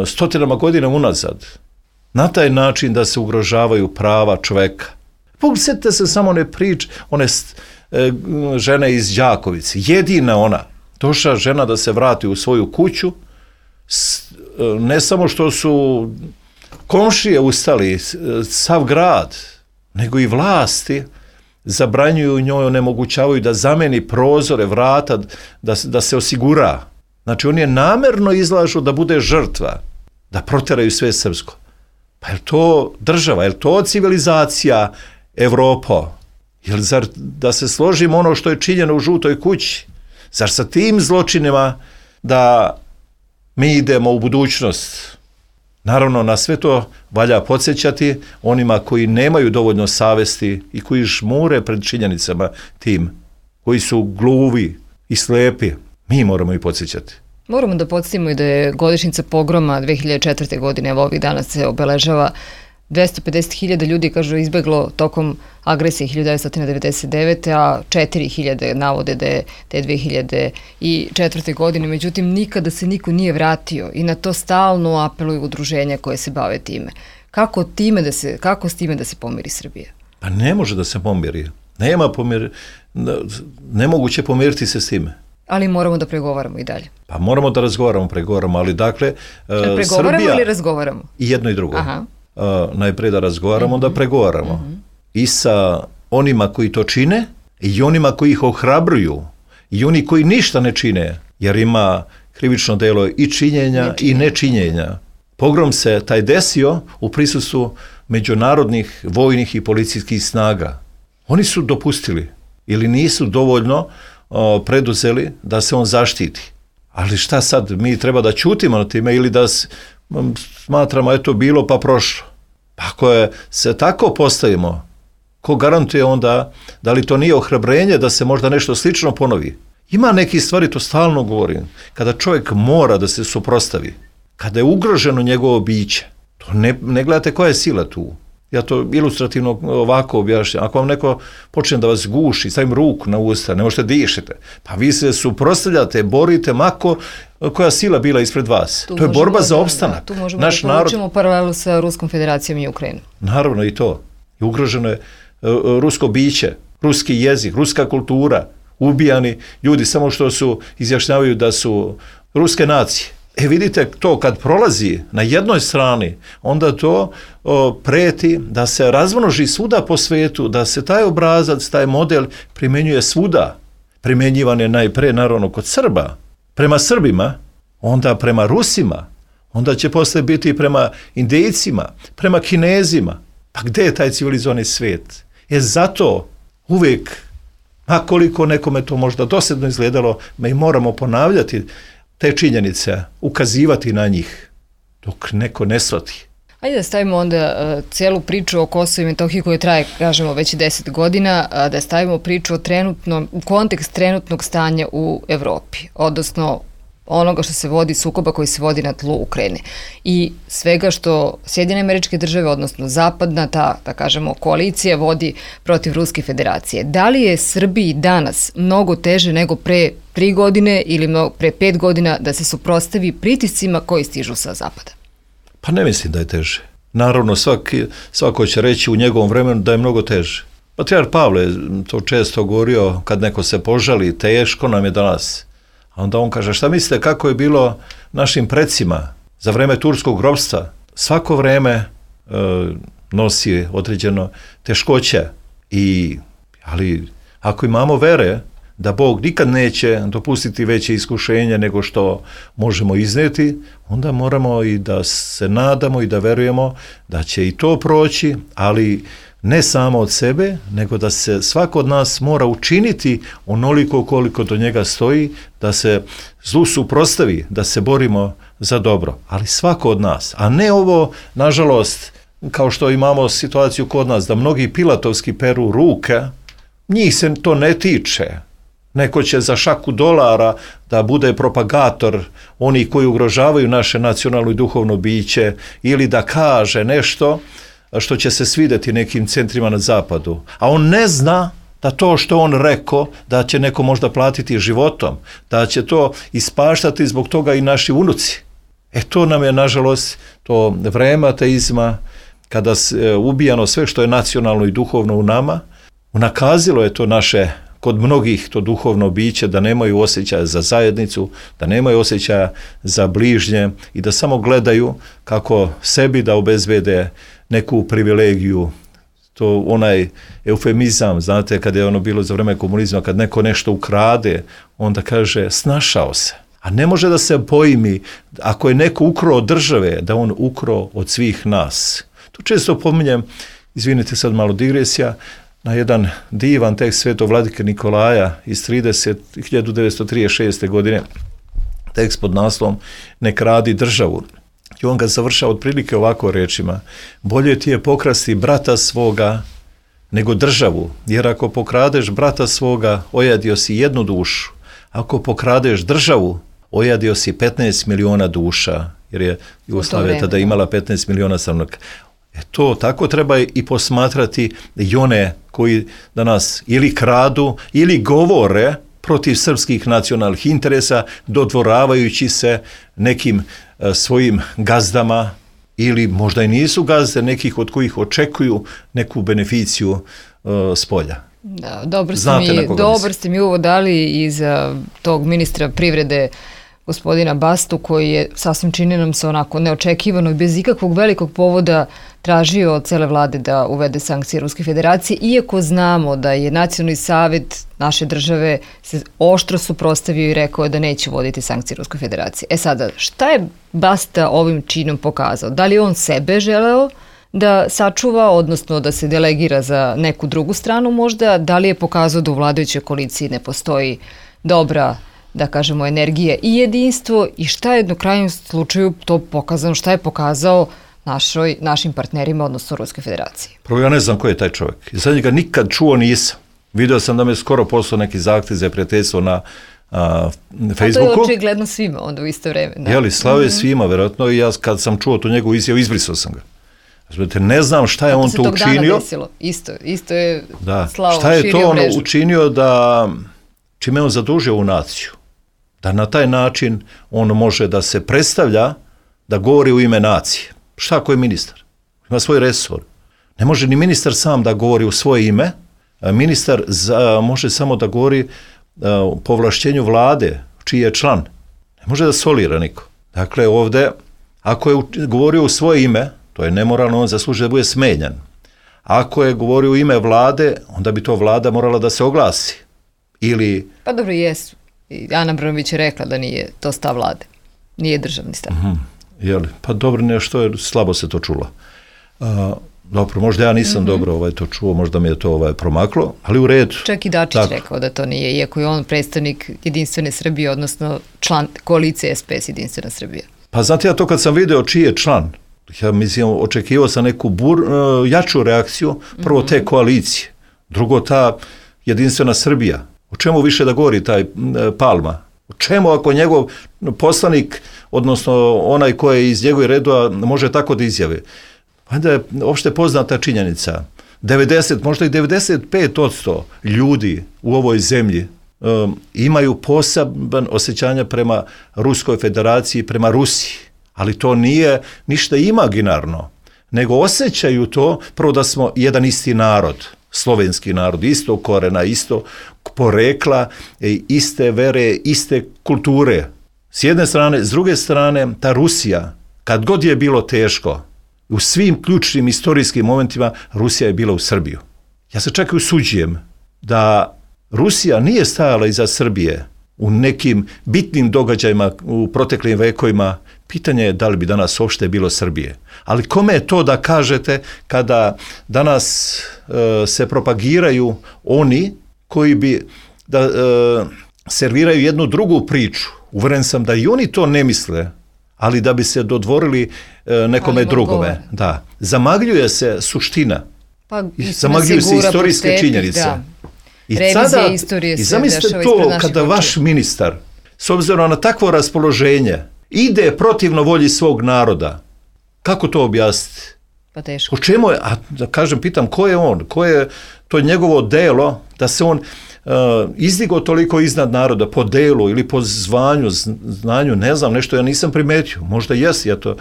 stotinama godina unazad, na taj način da se ugrožavaju prava čoveka? Sjetite se samo one žene iz Đakovice, jedina ona, došla žena da se vrati u svoju kuću, ne samo što su komšije ustali, sav grad, nego i vlasti zabranjuju njoj, onemogućavaju da zameni prozore, vrata, da se osigura. Znači, oni je namerno izlažu da bude žrtva, da proteraju sve srpsko. Pa je to država, je to civilizacija Evropa? Zar da se složimo ono što je činjeno u Žutoj kući? Zar sa tim zločinima da mi idemo u budućnost? Naravno, na sve to valja podsjećati onima koji nemaju dovoljno savesti i koji žmure pred činjenicama tim, koji su gluvi i slepi. Mi moramo ih podsjećati. Moramo da podsjetimo i da je godišnjica pogroma 2004. godine, evo ovih dana se obeležava, 250.000 ljudi, kažu, izbeglo tokom agresije 1999. a 4.000 navode da je te 2004. godine. Međutim, nikada se niko nije vratio i na to stalno apeluju udruženja koje se bave time. Kako s time da se pomiri Srbija? Pa ne može da se pomiri. Nemoguće pomiriti se s time. Ali moramo da pregovaramo i dalje. Pa moramo da pregovaramo, ali dakle, pregovaramo Srbija... ili razgovaramo? I jedno i drugo. Aha. Najprije da razgovaramo, da pregovaramo. I sa onima koji to čine, i onima koji ih ohrabruju, i oni koji ništa ne čine, jer ima krivično delo i činjenja i nečinjenja. Pogrom se taj desio u prisustvu međunarodnih vojnih i policijskih snaga. Oni su dopustili ili nisu dovoljno preduzeli da se on zaštiti. Ali šta sad, mi treba da ćutimo na time ili da smatramo eto bilo pa prošlo? Pa ako se tako postavimo, ko garantuje onda da li to nije ohrabrenje da se možda nešto slično ponovi? Ima neki stvari, to stalno govorim, kada čovjek mora da se suprotstavi, kada je ugroženo njegovo biće, to ne gledate koja je sila tu. Ja to ilustrativno ovako objašnjam. Ako vam neko počne da vas guši, stavim ruku na usta, ne možete dišete, pa vi se suprotstavljate, borite mako koja sila bila ispred vas. To je borba za opstanak. Tu možemo da povučemo paralelu sa Ruskom federacijom i Ukrajinom. Naravno i to. I ugroženo je rusko biće, ruski jezik, ruska kultura, ubijani ljudi samo što izjašnjavaju da su ruske nacije. Vidite, to kad prolazi na jednoj strani, onda to preti da se razmnoži svuda po svetu, da se taj obrazac, taj model primjenjuje svuda. Primjenjivan je najpre, naravno, kod Srba. Prema Srbima, onda prema Rusima, onda će posle biti prema Indijcima, prema Kinezima. Pa gde je taj civilizovani svijet? Zato uvijek, a koliko nekome to možda dosadno izgledalo, mi moramo ponavljati te činjenice, ukazivati na njih, dok neko ne shvati. Ajde da stavimo onda cijelu priču o Kosovu i Metohiji koja traje, kažemo, već 10 godina, da stavimo priču u kontekst trenutnog stanja u Evropi, odnosno onoga što se vodi, sukoba koji se vodi na tlu Ukrajine i svega što Sjedinjene Američke Države, odnosno zapadna da kažemo, koalicija vodi protiv Ruske federacije. Da li je Srbiji danas mnogo teže nego pre 3 godine ili pre 5 godina da se suprotstavi pritiscima koji stižu sa zapada? Pa ne mislim da je teže. Naravno, svako će reći u njegovom vremenu da je mnogo teže. Patrijarh Pavle to često govorio, kad neko se požali, teško nam je danas. A onda on kaže, šta mislite kako je bilo našim precima za vreme turskog ropstva? Svako vreme nosi određeno teškoće. Ali ako imamo vere da Bog nikad neće dopustiti veće iskušenje nego što možemo iznijeti, onda moramo i da se nadamo i da verujemo da će i to proći, ali ne samo od sebe, nego da se svako od nas mora učiniti onoliko koliko do njega stoji, da se zlu suprotstavi, da se borimo za dobro. Ali svako od nas, a ne ovo, nažalost, kao što imamo situaciju kod nas, da mnogi pilatovski peru ruke, njih se to ne tiče. Neko će za šaku dolara da bude propagator onih koji ugrožavaju naše nacionalno i duhovno biće ili da kaže nešto što će se svidjeti nekim centrima na zapadu. A on ne zna da to što on rekao, da će neko možda platiti životom, da će to ispaštati zbog toga i naši unuci. To nam je, nažalost, to vreme ateizma, kada se ubijano sve što je nacionalno i duhovno u nama, unakazilo je to naše, kod mnogih, to duhovno biće, da nemaju osjećaja za zajednicu, da nemaju osjećaja za bližnje i da samo gledaju kako sebi da obezbede neku privilegiju. To onaj eufemizam, znate, kad je ono bilo za vreme komunizma, kad neko nešto ukrade, onda kaže snašao se. A ne može da se pojmi, ako je neko ukrao od države, da on ukrao od svih nas. To često pominjem, izvinite sad malo digresija, na jedan divan tekst svetog vladike Nikolaja iz 1936. godine, tekst pod naslovom Ne kradi državu. I on ga završava otprilike ovako rečima: bolje ti je pokrasti brata svoga nego državu, jer ako pokradeš brata svoga, ojadio si jednu dušu. Ako pokradeš državu, ojadio si 15 miliona duša, jer je Jugoslavija tada imala 15 miliona stanovnika. To tako treba i posmatrati i one koji danas ili kradu ili govore protiv srpskih nacionalnih interesa, dodvoravajući se nekim svojim gazdama ili možda i nisu gazde, nekih od kojih očekuju neku beneficiju s polja. Da, dobro ste mi uvod dali i za tog ministra privrede gospodina Bastu, koji je, sasvim čini nam se onako neočekivano i bez ikakvog velikog povoda tražio od cele vlade da uvede sankcije Ruske federacije, iako znamo da je Nacionalni savjet naše države se oštro suprotstavio i rekao da neće uvoditi sankcije Ruske federacije. Sada, šta je Basta ovim činom pokazao? Da li je on sebe želeo da sačuva, odnosno da se delegira za neku drugu stranu možda? Da li je pokazao da u vladajućoj koaliciji ne postoji dobra, da kažemo, energija i jedinstvo, i šta je na krajnjem slučaju to pokazano, šta je pokazao našim partnerima, odnosno Ruskoj federaciji? Prvo, ja ne znam ko je taj čovjek. Ja sad njega nikad čuo nisam. Video sam da me skoro poslao neki zahtjev za prijateljstvo na Facebooku. A to je očigledno svima onda u isto vreme. Da. Jeli, slavo je svima, vjerojatno, i ja kad sam čuo tu njegovu izjavu, izbrisao sam ga. Ne znam šta je on to učinio. Isto je slavo šta je to on mrežu. učinio da, čime on zadužio ovu naciju. Da na taj način on može da se predstavlja, da govori u ime nacije. Šta ako je ministar? Ima svoj resor. Ne može ni ministar sam da govori u svoje ime. Ministar može samo da govori po ovlašćenju vlade, čiji je član. Ne može da solira niko. Dakle, ovdje, ako je govorio u svoje ime, to je nemoralno, on zaslužuje da bude smenjan. Ako je govorio u ime vlade, onda bi to vlada morala da se oglasi. Ili... Pa dobro, jesu. Ana Brnabić je rekla da nije to stav vlade. Nije državni stav. Pa dobro, nešto je, slabo se to čulo. Dobro, možda ja nisam dobro to čuo, možda mi je to promaklo, ali u redu. Čak i Dačić rekao da to nije, iako je on predstavnik Jedinstvene Srbije, odnosno član koalicije SPS Jedinstvena Srbija. Pa znate, ja to kad sam video čiji je član, ja mislim, očekivao sam neku jaču reakciju, prvo te koalicije, drugo ta Jedinstvena Srbija. O čemu više da govori taj Palma? O čemu ako njegov poslanik, odnosno onaj koji je iz njegove redova, može tako da izjave? Onda je opšte poznata činjenica. 90, možda i 95% ljudi u ovoj zemlji imaju poseban osjećanja prema Ruskoj federaciji, prema Rusiji. Ali to nije ništa imaginarno, nego osjećaju to, prvo da smo jedan isti narod, slovenski narod, isto korena, isto porekla, iste vere, iste kulture. S jedne strane, s druge strane, ta Rusija, kad god je bilo teško, u svim ključnim istorijskim momentima Rusija je bila u Srbiju. Ja se čak i usuđujem da Rusija nije stajala iza Srbije u nekim bitnim događajima u proteklim vekovima, pitanje je da li bi danas uopšte bilo Srbije. Ali kome je to da kažete kada danas se propagiraju oni koji bi da serviraju jednu drugu priču. Uveren sam da i oni to ne misle, ali da bi se dodvorili nekome drugome. Da. Zamagljuje se suština. Pa, zamagljuju se istorijske činjenice. Da. I zamislite to kada vaš ministar, s obzirom na takvo raspoloženje, ide protivno volji svog naroda. Kako to objasniti? Pa teško. O čemu je, a da kažem, pitam, ko je on? Ko je to njegovo delo da se on izdigao toliko iznad naroda po delu ili po zvanju, znanju, ne znam, nešto ja nisam primetio. Možda jesi, ja to...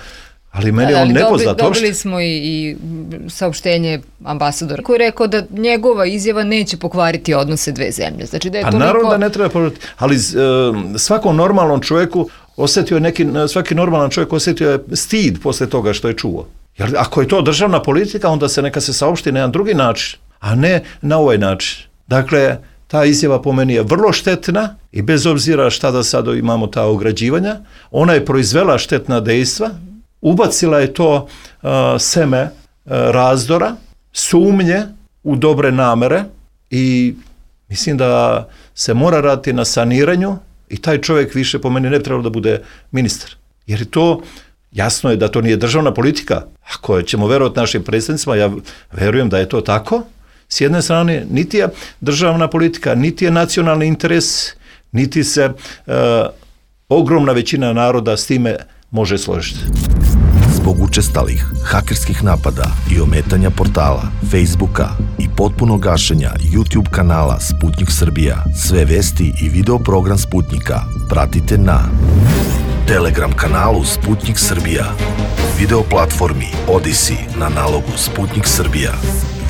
Ali meni on nepoznat. Dobili smo i saopštenje ambasadora koji je rekao da njegova izjava neće pokvariti odnose dve zemlje. Znači da je toliko... naravno da ne treba pokvariti, ali svakom normalnom čovjeku svaki normalan čovjek osjetio je stid posle toga što je čuo. Jer ako je to državna politika, onda neka se saopšti na jedan drugi način, a ne na ovaj način. Dakle, ta izjava po meni je vrlo štetna i bez obzira šta da sad imamo ta ograđivanja, ona je proizvela štetna dejstva, ubacila je to seme razdora, sumnje u dobre namere i mislim da se mora raditi na saniranju i taj čovjek više po meni ne trebalo da bude ministar. Jer to, jasno je da to nije državna politika. Ako ćemo verovati našim predstavnicima, ja verujem da je to tako. S jedne strane, niti je državna politika, niti je nacionalni interes, niti se ogromna većina naroda s time može složiti. Zbog učestalih hakerskih napada i ometanja portala, Facebooka i potpunog gašenja YouTube kanala Sputnik Srbija, sve vesti i video program Sputnika pratite na Telegram kanalu Sputnik Srbija, video platformi Odyssey na nalogu Sputnik Srbija,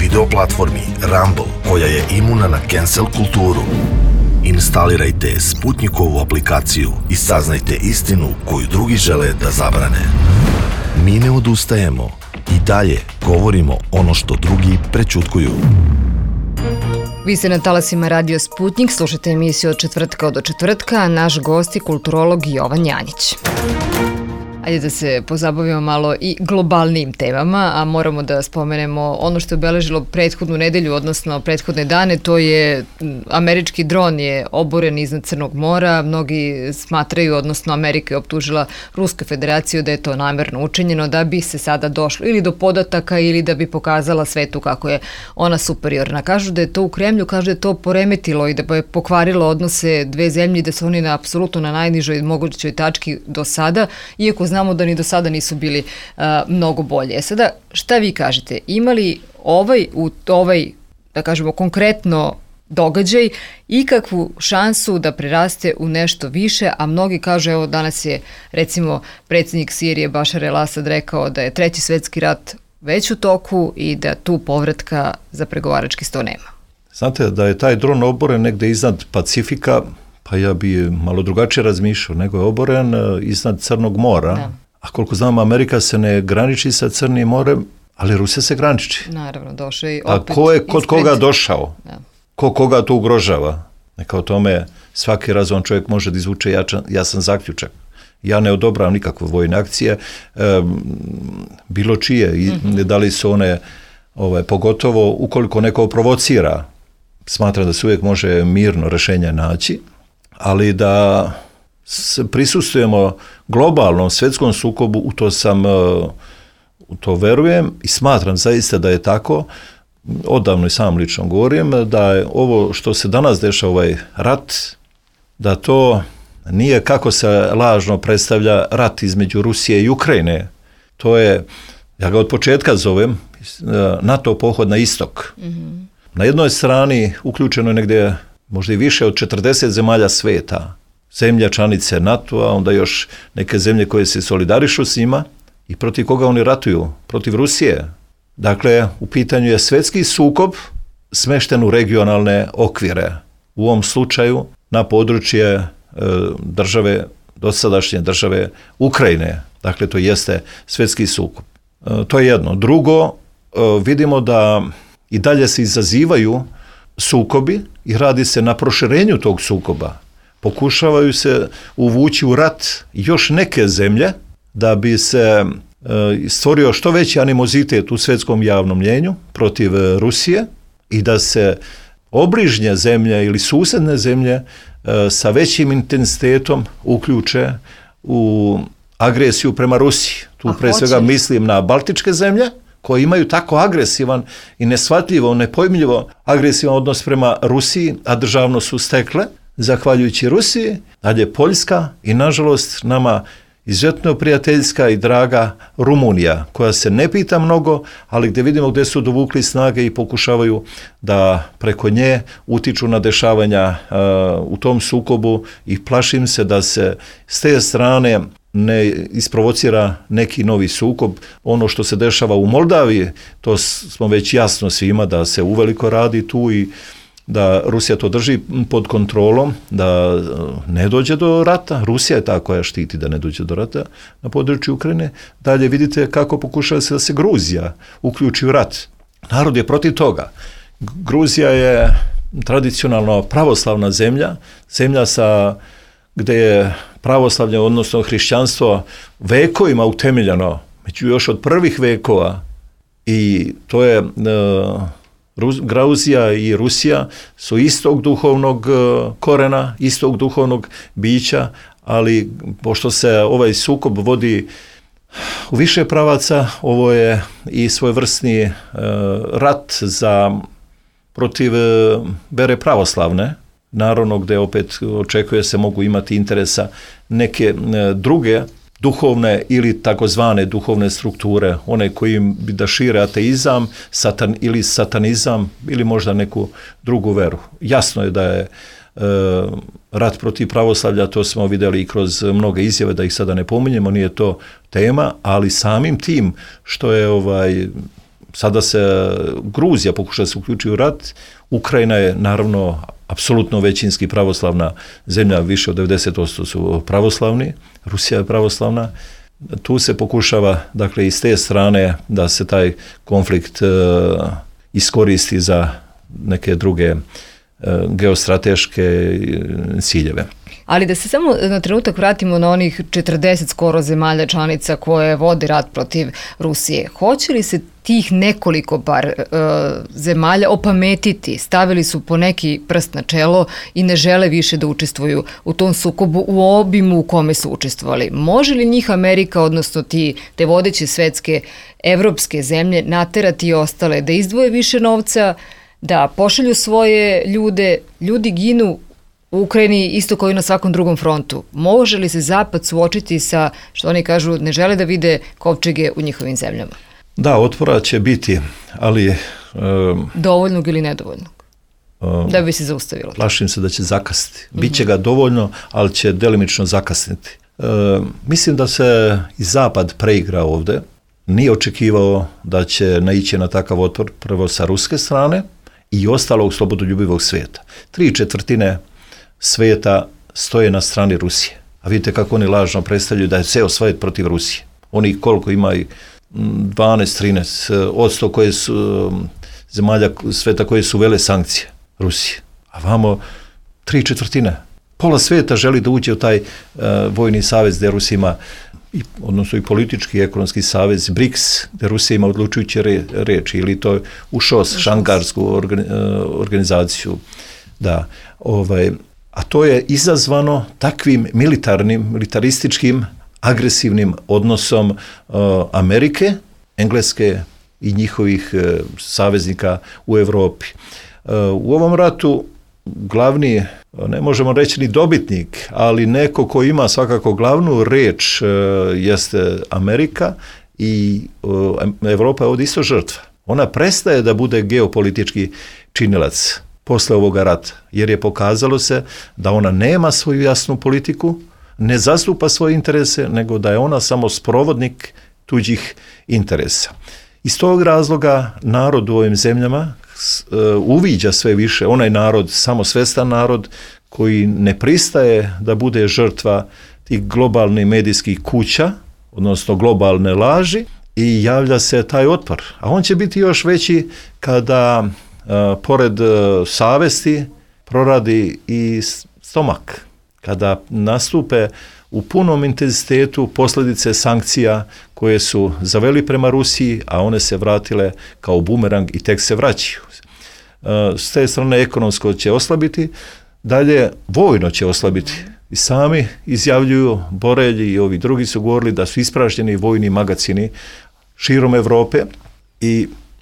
video platformi Rumble koja je imuna na cancel kulturu. Instalirajte Sputnikovu aplikaciju i saznajte istinu koju drugi žele da zabrane. Mi ne odustajemo i dalje govorimo ono što drugi prećutkuju. Vi ste na talasima Radio Sputnik, slušate emisiju od četvrtka do četvrtka, a naš gost je kulturolog Jovan Janjić. Ajde da se pozabavimo malo i globalnim temama, a moramo da spomenemo ono što je obeležilo prethodnu nedelju, odnosno prethodne dane, to je američki dron je oboren iznad Crnog mora. Mnogi smatraju, odnosno Amerika je optužila Rusku federaciju da je to namerno učinjeno, da bi se sada došlo ili do podataka ili da bi pokazala svetu kako je ona superiorna. Kažu da je to u Kremlju, kažu da je to poremetilo i da je pokvarilo odnose dve zemlje i da su oni apsolutno na najnižoj mogućoj tački do sada, iako znamo da ni do sada nisu bili mnogo bolje. Sada, šta vi kažete? Ima li ovaj, da kažemo, konkretno događaj ikakvu šansu da preraste u nešto više, a mnogi kažu, evo danas je recimo predsjednik Sirije Bašar el-Asad rekao da je Treći svjetski rat već u toku i da tu povratka za pregovarački sto nema. Znate, da je taj dron oboren negde iznad Pacifika, pa ja bi malo drugačije razmišljao, nego je oboren iznad Crnog mora. Da. A koliko znam, Amerika se ne graniči sa Crnim morem, ali Rusija se graniči. Naravno, došao i opet. A ko je kod koga došao? Da. Ko koga to ugrožava? Neka o tome svaki razuman čovjek može da izvuče jasan zaključak. Ja ne odobravam nikakve vojne akcije, bilo čije, i da li su one, pogotovo ukoliko neko provocira, smatram da se uvijek može mirno rješenje naći, ali da prisustvujemo globalnom svjetskom sukobu, u to verujem i smatram zaista da je tako. Odavno i sam lično govorim da je ovo što se danas dešava, ovaj rat, da to nije, kako se lažno predstavlja, rat između Rusije i Ukrajine. To je, ja ga od početka zovem, NATO pohod na istok. Mm-hmm. Na jednoj strani uključeno je negdje možda i više od 40 zemalja sveta, zemlja članice NATO-a, onda još neke zemlje koje se solidarišu s njima i protiv koga oni ratuju? Protiv Rusije. Dakle, u pitanju je svjetski sukob smešten u regionalne okvire. U ovom slučaju na područje dosadašnje države Ukrajine. Dakle, to jeste svjetski sukob. To je jedno. Drugo, vidimo da i dalje se izazivaju sukobi i radi se na proširenju tog sukoba. Pokušavaju se uvući u rat još neke zemlje da bi se stvorio što veći animozitet u svjetskom javnom mnijenju protiv Rusije i da se obližnje zemlje ili susjedne zemlje sa većim intenzitetom uključe u agresiju prema Rusiji. Tu pre svega mislim na baltičke zemlje koje imaju tako agresivan i neshvatljivo, nepojmljivo agresivan odnos prema Rusiji, a državno su stekle zahvaljujući Rusiji, dalje Poljska i nažalost nama izuzetno prijateljska i draga Rumunija, koja se ne pita mnogo, ali gdje vidimo gdje su dovukli snage i pokušavaju da preko nje utiču na dešavanja u tom sukobu i plašim se da se s te strane ne isprovocira neki novi sukob. Ono što se dešava u Moldaviji, to smo već jasno svima da se uveliko radi tu i da Rusija to drži pod kontrolom, da ne dođe do rata. Rusija je ta koja štiti da ne dođe do rata na području Ukrajine. Dalje vidite kako pokušava se da se Gruzija uključi u rat. Narod je protiv toga. Gruzija je tradicionalno pravoslavna zemlja, zemlja gdje je pravoslavlje, odnosno hrišćanstvo, vekovima utemeljeno, među još od prvih vekova, i to je Gruzija i Rusija su istog duhovnog korena, istog duhovnog bića, ali pošto se ovaj sukob vodi u više pravaca, ovo je i svojevrsni rat protiv vere pravoslavne, naravno gdje opet očekuje se mogu imati interesa neke druge duhovne ili takozvane duhovne strukture, one koji bi da šire ateizam ili satanizam ili možda neku drugu veru. Jasno je da je rat protiv pravoslavlja, to smo vidjeli i kroz mnoge izjave, da ih sada ne pominjemo, nije to tema, ali samim tim što je sada se Gruzija pokuša se uključiti u rat, Ukrajina je naravno apsolutno većinski pravoslavna zemlja, više od 90% su pravoslavni, Rusija je pravoslavna. Tu se pokušava, dakle, iz te strane da se taj konflikt iskoristi za neke druge geostrateške ciljeve. Ali da se samo na trenutak vratimo na onih 40 skoro zemalja članica koje vode rat protiv Rusije. Hoće li se tih nekoliko bar zemalja opametiti? Stavili su po neki prst na čelo i ne žele više da učestvuju u tom sukobu u obimu u kome su učestvovali. Može li njih Amerika, odnosno te vodeće svetske evropske zemlje, naterati i ostale da izdvoje više novca, da pošalju svoje ljude? Ljudi ginu u Ukrajini isto kao i na svakom drugom frontu. Može li se Zapad suočiti sa, što oni kažu, ne žele da vide kovčege u njihovim zemljama? Da, otpora će biti, ali dovoljnog ili nedovoljnog? Da bi se zaustavilo. Plašim se da će zakasniti. Biće ga dovoljno, ali će delimično zakasniti. Mislim da se i Zapad preigra ovdje. Nije očekivao da će naići na takav otpor prvo sa ruske strane i ostalog slobodoljubivog svijeta. 3/4 svijeta stoje na strani Rusije. A vidite kako oni lažno predstavljaju da je ceo svijet protiv Rusije. Oni koliko imaju 12-13% koje su zemalja svijeta koje su uvele sankcije Rusije. A vamo 3/4. Pola svijeta želi da uđe u taj vojni savez gdje Rusija ima odnosno i politički i ekonomski savez BRICS, gdje Rusija ima odlučujuće reči, ili to u šangarsku organizaciju. Da, a to je izazvano takvim militarističkim, agresivnim odnosom Amerike, Engleske i njihovih saveznika u Europi. U ovom ratu glavni, ne možemo reći ni dobitnik, ali neko ko ima svakako glavnu reč jeste Amerika i Europa je ovdje isto žrtva. Ona prestaje da bude geopolitički činilac posle ovoga rata, jer je pokazalo se da ona nema svoju jasnu politiku, ne zastupa svoje interese, nego da je ona samo sprovodnik tuđih interesa. Iz tog razloga narod u ovim zemljama uviđa sve više, onaj narod, samosvestan narod koji ne pristaje da bude žrtva tih globalnih medijskih kuća, odnosno globalne laži, i javlja se taj otpor. A on će biti još veći kada pored savesti, proradi i stomak. Kada nastupe u punom intenzitetu posljedice sankcija koje su zaveli prema Rusiji, a one se vratile kao bumerang i tek se vraćaju. S te strane ekonomsko će oslabiti, dalje vojno će oslabiti. I sami izjavljuju, Borelji i ovi drugi su govorili da su ispražnjeni vojni magacini širom Europe.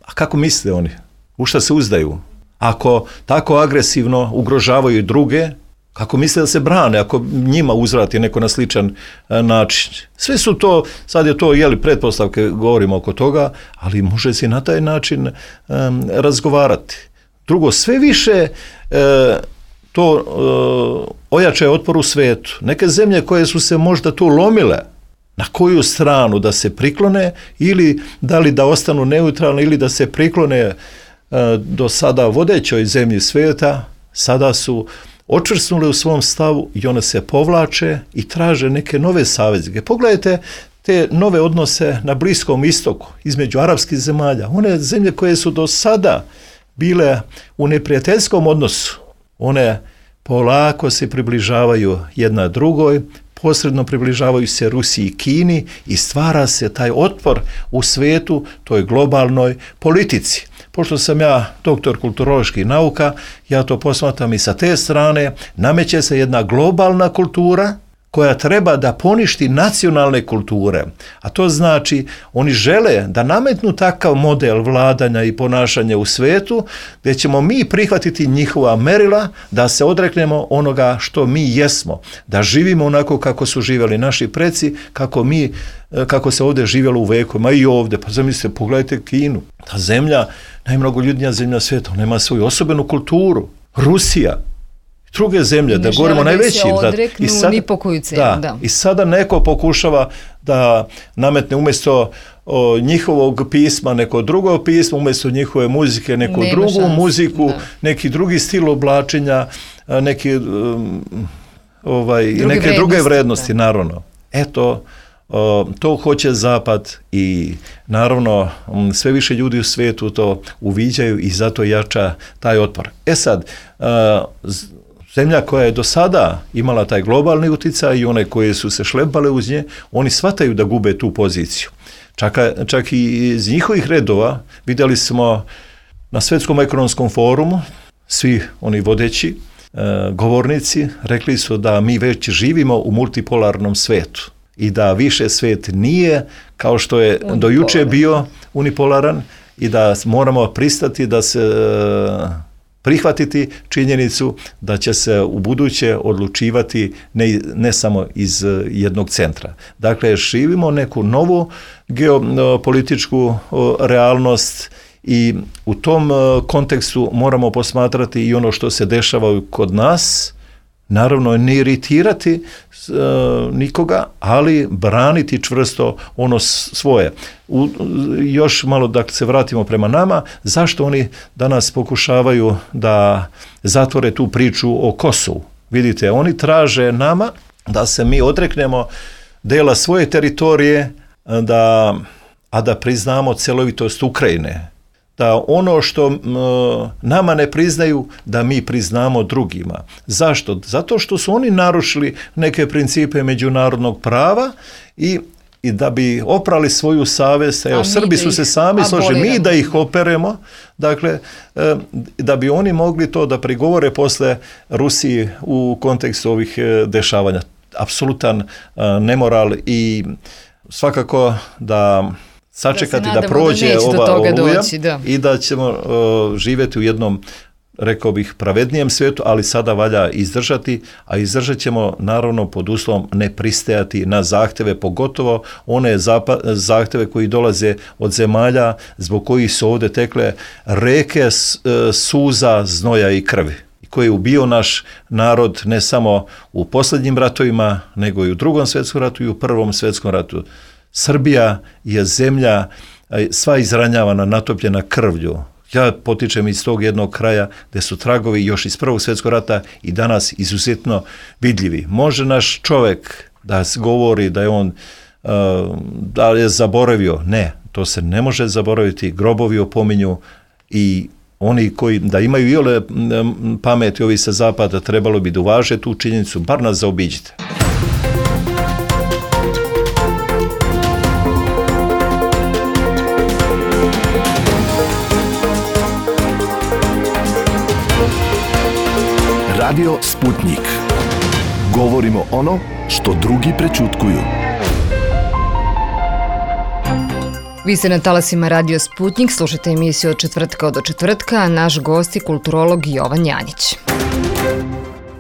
A kako misle oni? U šta se uzdaju? Ako tako agresivno ugrožavaju druge, kako misle da se brane ako njima uzvrati neko na sličan način? Sve su to, sad je to pretpostavke, govorimo oko toga, ali može se na taj način razgovarati. Drugo, sve više to ojača otpor u svetu. Neke zemlje koje su se možda tu lomile, na koju stranu da se priklone, ili da li da ostanu neutralne, ili da se priklone do sada vodećoj zemlji svijeta, sada su očvrsnule u svom stavu i one se povlače i traže neke nove saveznike. Pogledajte te nove odnose na Bliskom istoku između arapskih zemalja. One zemlje koje su do sada bile u neprijateljskom odnosu, one polako se približavaju jedna drugoj, posredno približavaju se Rusiji i Kini i stvara se taj otpor u svijetu, toj globalnoj politici. Pošto sam ja doktor kulturoloških nauka, ja to posmatram i sa te strane, nameće se jedna globalna kultura koja treba da poništi nacionalne kulture. A to znači, oni žele da nametnu takav model vladanja i ponašanja u svijetu, gdje ćemo mi prihvatiti njihova merila, da se odreknemo onoga što mi jesmo, da živimo onako kako su živjeli naši preci, kako se ovdje živjelo u vekovima i ovdje. Pa zamislite, pogledajte Kinu. Ta zemlja, najmnogoljudnija zemlja svijeta, ona ima svoju osobenu kulturu. Rusija, druge zemlje, da govorimo najvećim. I sada neko pokušava da nametne umjesto njihovog pisma neko drugo pismo, umjesto njihove muzike neku drugu muziku, neki drugi stil oblačenja, neke druge vrednosti, naravno. Eto, to hoće Zapad i naravno sve više ljudi u svijetu to uviđaju i zato jača taj otpor. Sad, zemlja koja je do sada imala taj globalni utjecaj i one koje su se šlepale uz nje, oni shvataju da gube tu poziciju. Čak i iz njihovih redova vidjeli smo na Svjetskom ekonomskom forumu, svi oni vodeći govornici rekli su da mi već živimo u multipolarnom svijetu i da više svijet nije kao što je do juče bio unipolaran i da moramo pristati da se prihvatiti činjenicu da će se u buduće odlučivati ne samo iz jednog centra. Dakle, živimo neku novu geopolitičku realnost i u tom kontekstu moramo posmatrati i ono što se dešava kod nas, naravno ne iritirati nikoga, ali braniti čvrsto ono svoje. Još malo da se vratimo prema nama, zašto oni danas pokušavaju da zatvore tu priču o Kosovu? Vidite, oni traže nama da se mi odreknemo dela svoje teritorije, a da priznamo celovitost Ukrajine. Da ono što nama ne priznaju, da mi priznamo drugima. Zašto? Zato što su oni narušili neke principe međunarodnog prava i da bi oprali svoju savjest, Srbi su se sami složili, mi da ih operemo, dakle, da bi oni mogli to da prigovore posle Rusiji u kontekstu ovih dešavanja. Apsolutan nemoral i svakako da sačekati da prođe ova oluja i da ćemo živjeti u jednom, rekao bih, pravednijem svijetu, ali sada valja izdržati, a izdržat ćemo naravno pod uslovom ne pristajati na zahtjeve, pogotovo one zahtjeve koji dolaze od zemalja zbog kojih su ovdje tekle reke suza, znoja i krvi, koji je ubio naš narod ne samo u posljednjim ratovima, nego i u Drugom svjetskom ratu i u Prvom svjetskom ratu. Srbija je zemlja sva izranjavana, natopljena krvlju. Ja potičem iz tog jednog kraja gdje su tragovi još iz Prvog svjetskog rata i danas izuzetno vidljivi. Može naš čovjek da govori da je on da je zaboravio. Ne, to se ne može zaboraviti. Grobovi opominju i oni koji da imaju iole pameti ovi sa zapada, trebalo bi da uvaže tu činjenicu, bar nas zaobiđite. Radio Sputnik. Govorimo ono što drugi prećutkuju. Vi ste na talasima Radio Sputnik, slušate emisiju od četvrtka do četvrtka, a naš gost je kulturolog Jovan Janjić.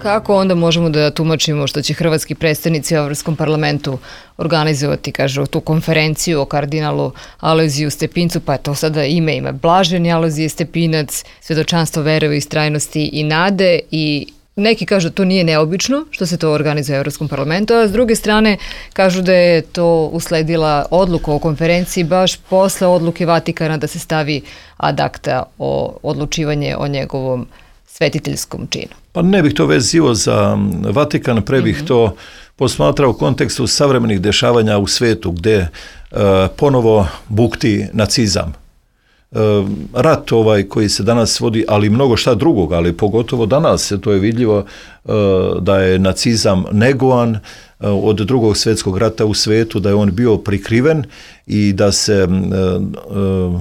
Kako onda možemo da tumačimo što će hrvatski predstavnici u Evropskom parlamentu organizovati, kažu, tu konferenciju o kardinalu Alojziju Stepincu, pa je to sada ime Blaženi Alojzije Stepinac, svedočanstvo vere u istrajnosti i nade, i neki kažu to nije neobično što se to organizuje u Evropskom parlamentu, a s druge strane kažu da je to usledila odluka o konferenciji baš posle odluke Vatikana da se stavi ad acta o odlučivanje o njegovom svetiteljskom činu. Pa ne bih to vezio za Vatikan, pre bih to posmatrao u kontekstu savremenih dešavanja u svetu gde ponovo bukti nacizam. Rat koji se danas vodi, ali mnogo šta drugog, ali pogotovo danas to je vidljivo da je nacizam negovan od Drugog svjetskog rata u svetu, da je on bio prikriven i da se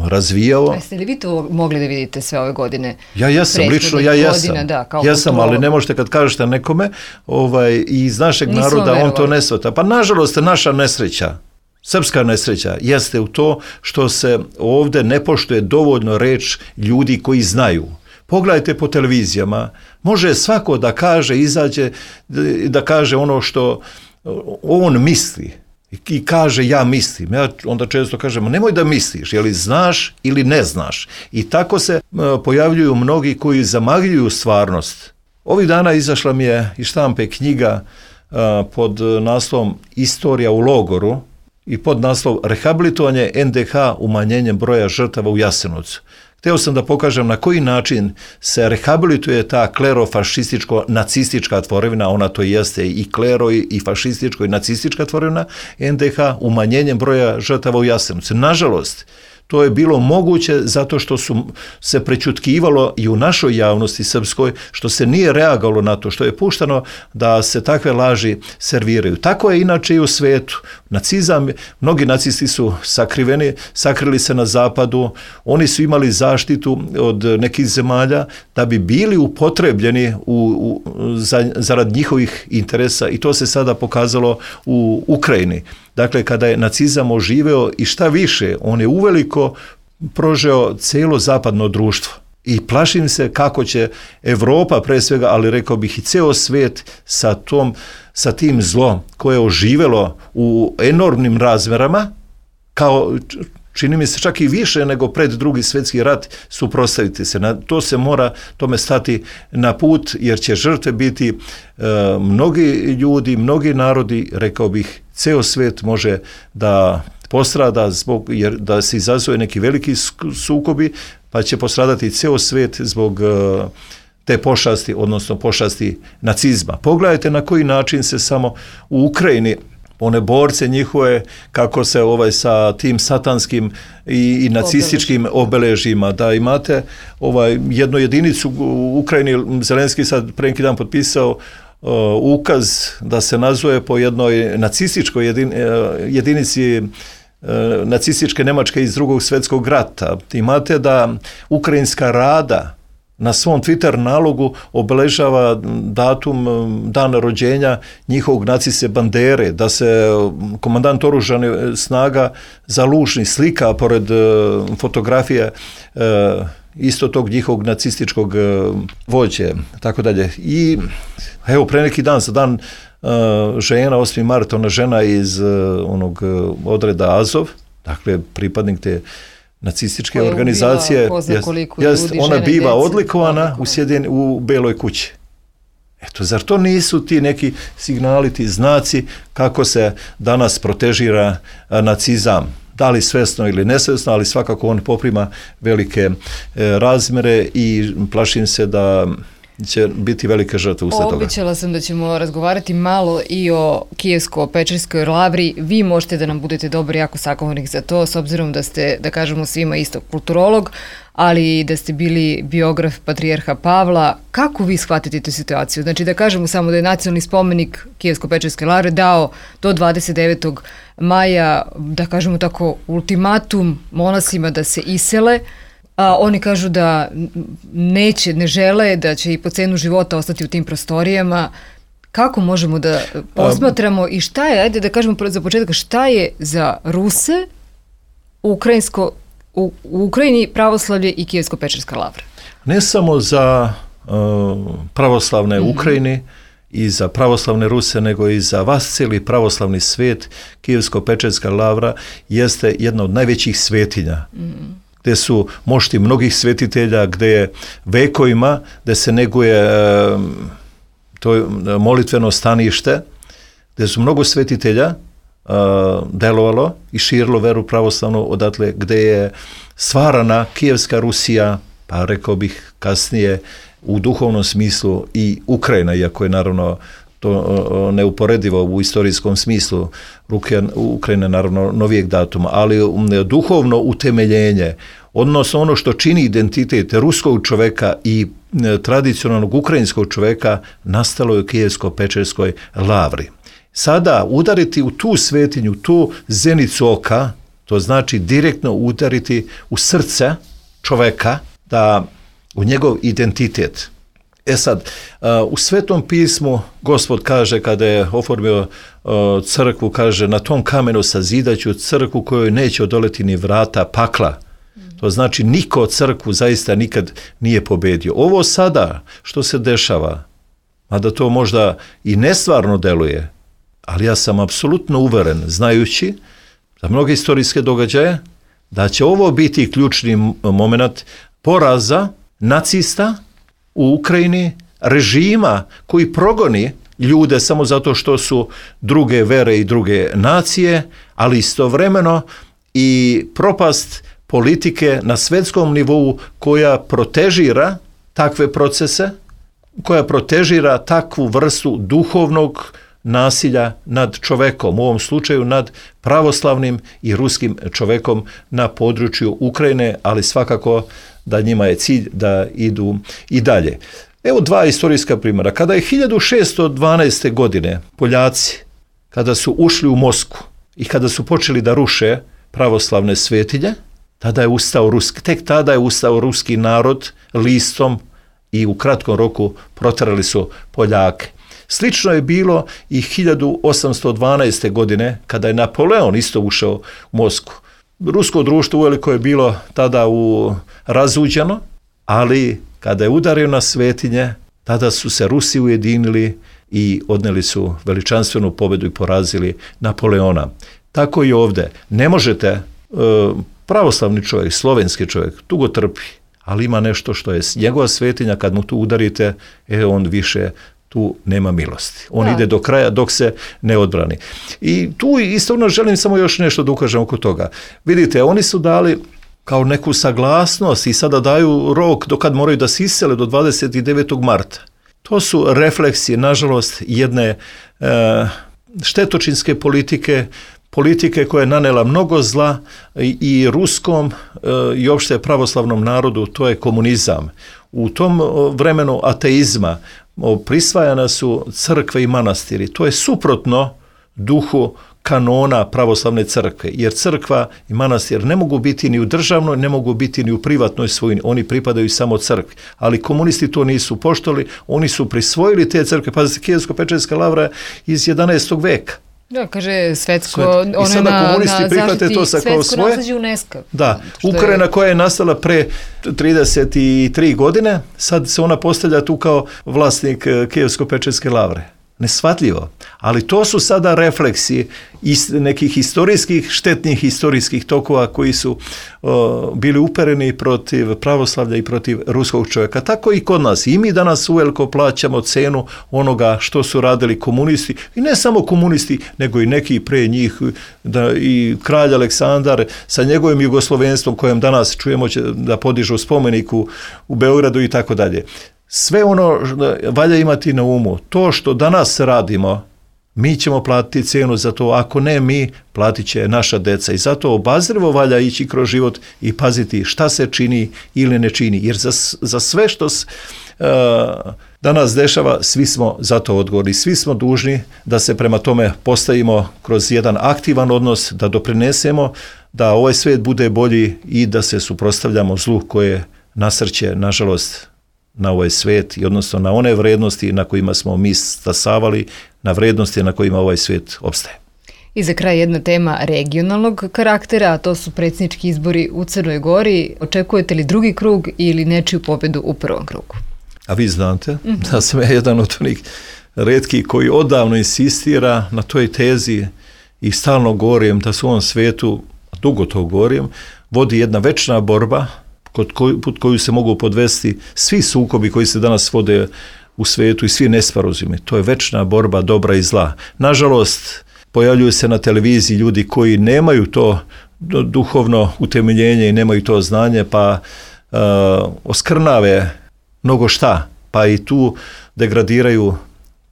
razvijao. Jeste li vi to mogli da vidite sve ove godine? Ja jesam, lično ja jesam. Jesam, ali ne možete kad kažete nekome iz našeg naroda, on to ne shvata. Pa nažalost, naša nesreća, srpska nesreća jeste u to što se ovdje ne poštuje dovoljno reč ljudi koji znaju. Pogledajte po televizijama, može svako da kaže, izađe, da kaže ono što on misli i kaže ja mislim. Ja onda često kažem, nemoj da misliš, je li znaš ili ne znaš. I tako se pojavljuju mnogi koji zamagljuju stvarnost. Ovih dana izašla mi je iz štampe knjiga pod naslovom Istorija u logoru i pod naslov Rehabilitovanje NDH umanjenjem broja žrtava u Jasenovcu. Hteo sam da pokažem na koji način se rehabilituje ta klerofašističko-nacistička tvorevina, ona to jeste i klero i fašističko i nacistička tvorevina NDH umanjenjem broja žrtava u Jasenovcu. Nažalost, to je bilo moguće zato što su se prećutkivalo i u našoj javnosti srpskoj, što se nije reagovalo na to, što je puštano da se takve laži serviraju. Tako je inače i u svetu. Nacizam, mnogi nacisti su sakrili se na zapadu, oni su imali zaštitu od nekih zemalja da bi bili upotrebljeni zarad njihovih interesa i to se sada pokazalo u Ukrajini. Dakle, kada je nacizam oživeo i šta više, on je uveliko prožeo cijelo zapadno društvo. I plašim se kako će Evropa pre svega, ali rekao bih i ceo svijet sa tim zlom koje je oživelo u enormnim razmerama, kao čini mi se čak i više nego pred Drugi svjetski rat, suprotstaviti se. To se mora tome stati na put, jer će žrtve biti mnogi ljudi, mnogi narodi, rekao bih, ceo svijet može da postrada jer da se izazove neki veliki sukobi, pa će postradati ceo svijet zbog te pošasti, odnosno pošasti nacizma. Pogledajte na koji način se samo u Ukrajini one borce njihove, kako se sa tim satanskim i nacističkim obeležima, da imate jednu jedinicu u Ukrajini, Zelenski sad pre neki dan potpisao ukaz da se nazove po jednoj nacističkoj jedinici nacističke Nemačke iz Drugog svjetskog rata. Imate da Ukrajinska rada na svom Twitter nalogu obeležava datum dana rođenja njihovog naciste Bandere, da se komandant oružanih snaga Zalužni slika pored fotografije isto tog njihovog nacističkog vođe, tako dalje. I evo, pre neki dan, za dan žena, 8. mart, ona žena iz onog odreda Azov, dakle pripadnik te nacističke organizacije, ona biva odlikovana u Beloj kući. Eto, zar to nisu ti neki signali, ti znaci kako se danas protežira nacizam? Da li svesno ili nesvesno, ali svakako on poprima velike razmere i plašim se da će biti velike žrtve usled toga. Obećala sam da ćemo razgovarati malo i o Kijevsko-Pečerskoj lavri. Vi možete da nam budete dobri jako sagovornik za to, s obzirom da ste, da kažemo svima isto, kulturolog, ali da ste bili biograf patrijarha Pavla. Kako vi shvatite tu situaciju? Znači da kažemo samo da je nacionalni spomenik Kijevsko-Pečerske lavre dao do 29. maja, da kažemo tako, ultimatum monasima da se isele, a oni kažu da ne žele, da će i po cenu života ostati u tim prostorijama. Kako možemo da posmatramo i šta je, ajde da kažemo za početak, šta je za Ruse u Ukrajini pravoslavlje i Kijevsko-Pečerska lavra? Ne samo za pravoslavne Ukrajini i za pravoslavne Ruse, nego i za vas cijeli pravoslavni svijet. Kijevsko-Pečerska lavra jeste jedna od najvećih svetinja. Gdje su mošti mnogih svetitelja, gdje je vekovima, gdje se neguje to molitveno stanište, gdje su mnogo svetitelja delovalo i širilo veru pravoslavnu odatle, gdje je stvarana Kijevska Rusija, pa rekao bih kasnije u duhovnom smislu i Ukrajina, iako je naravno to neuporedivo u istorijskom smislu, Ukrajina naravno novijeg datuma, ali duhovno utemeljenje, odnosno ono što čini identitet ruskog čovjeka i tradicionalnog ukrajinskog čovjeka nastalo je u Kijevsko-Pečerskoj lavri. Sada udariti u tu svetinju, tu zenicu oka, to znači direktno udariti u srce čovjeka, da u njegov identitet. Sad, u Svetom pismu Gospod kaže, kada je oformio crkvu, kaže, na tom kamenu sazidaću crkvu kojoj neće odoleti ni vrata pakla. To znači niko crkvu zaista nikad nije pobedio. Ovo sada što se dešava, mada to možda i nestvarno deluje, ali ja sam apsolutno uveren, znajući za mnoge istorijske događaje, da će ovo biti ključni moment poraza nacista u Ukrajini, režima koji progoni ljude samo zato što su druge vere i druge nacije, ali istovremeno i propast politike na svjetskom nivou koja protežira takve procese, koja protežira takvu vrstu duhovnog nasilja nad čovekom, u ovom slučaju nad pravoslavnim i ruskim čovekom na području Ukrajine, ali svakako da njima je cilj da idu i dalje. Evo dva istorijska primjera. Kada je 1612. godine Poljaci, kada su ušli u Moskvu i kada su počeli da ruše pravoslavne svetinje, tek tada je ustao ruski narod listom i u kratkom roku proterali su Poljake. Slično je bilo i 1812. godine kada je Napoleon isto ušao u Moskvu. Rusko društvo uveliko je bilo tada razuđeno, ali kada je udario na svetinje, tada su se Rusi ujedinili i odneli su veličanstvenu pobjedu i porazili Napoleona. Tako i ovdje. Ne možete, pravoslavni čovjek, slovenski čovjek, tugo trpi, ali ima nešto što je njegova svetinja, kad mu tu udarite, on više tu nema milosti. On ide do kraja dok se ne odbrani. I tu isto želim samo još nešto da ukažem oko toga. Vidite, oni su dali kao neku saglasnost i sada daju rok do kad moraju da se isele do 29. marta. To su refleksije, nažalost, jedne štetočinske politike koja je nanela mnogo zla i ruskom i opšte pravoslavnom narodu, to je komunizam. U tom vremenu ateizma prisvajana su crkve i manastiri. To je suprotno duhu kanona pravoslavne crkve, jer crkva i manastir ne mogu biti ni u državnoj, ne mogu biti ni u privatnoj svojini, oni pripadaju samo crkvi. Ali komunisti to nisu poštovali, oni su prisvojili te crkve. Pazite, Kijevsko-Pečerska lavra iz 11. veka. Da, kaže svetsko, i sada komunisti prihvate to sa kao svoje. Naslađe UNESCO. Da, Ukrajina koja je nastala pre 33 godine, sad se ona postavlja tu kao vlasnik Kijevsko-Pečerske lavre. Neshvatljivo. Ali to su sada refleksi nekih historijskih, štetnih historijskih tokova koji su bili upereni protiv pravoslavlja i protiv ruskog čovjeka. Tako i kod nas. I mi danas uveliko plaćamo cenu onoga što su radili komunisti. I ne samo komunisti, nego i neki pre njih. I kralj Aleksandar sa njegovim jugoslovenstvom kojem danas čujemo će da podižu spomenik u Beogradu i tako dalje. sve ono valja imati na umu. To što danas radimo, mi ćemo platiti cijenu za to, ako ne mi, platit će naša deca. I zato obazrivo valja ići kroz život i paziti šta se čini ili ne čini. Jer za sve što danas dešava, svi smo za to odgovorni. Svi smo dužni da se prema tome postavimo kroz jedan aktivan odnos, da doprinesemo da ovaj svijet bude bolji i da se suprotstavljamo zlu koje nasrće, nažalost, na ovaj svijet i odnosno na one vrednosti na kojima smo mi stasavali, na vrednosti na kojima ovaj svijet opstaje. I za kraj jedna tema regionalnog karaktera, a to su predsjednički izbori u Crnoj Gori. Očekujete li drugi krug ili nečiju pobjedu u prvom krugu? A vi znate da sam ja jedan od onih retkih koji odavno insistira na toj tezi i stalno govorim da su u ovom svijetu, dugo to govorim, vodi jedna večna borba pod koju se mogu podvesti svi sukobi koji se danas vode u svijetu i svi nesporazumi. To je večna borba dobra i zla. Nažalost, pojavljuju se na televiziji ljudi koji nemaju to duhovno utemeljenje i nemaju to znanje, pa oskrnave mnogo šta, pa i tu degradiraju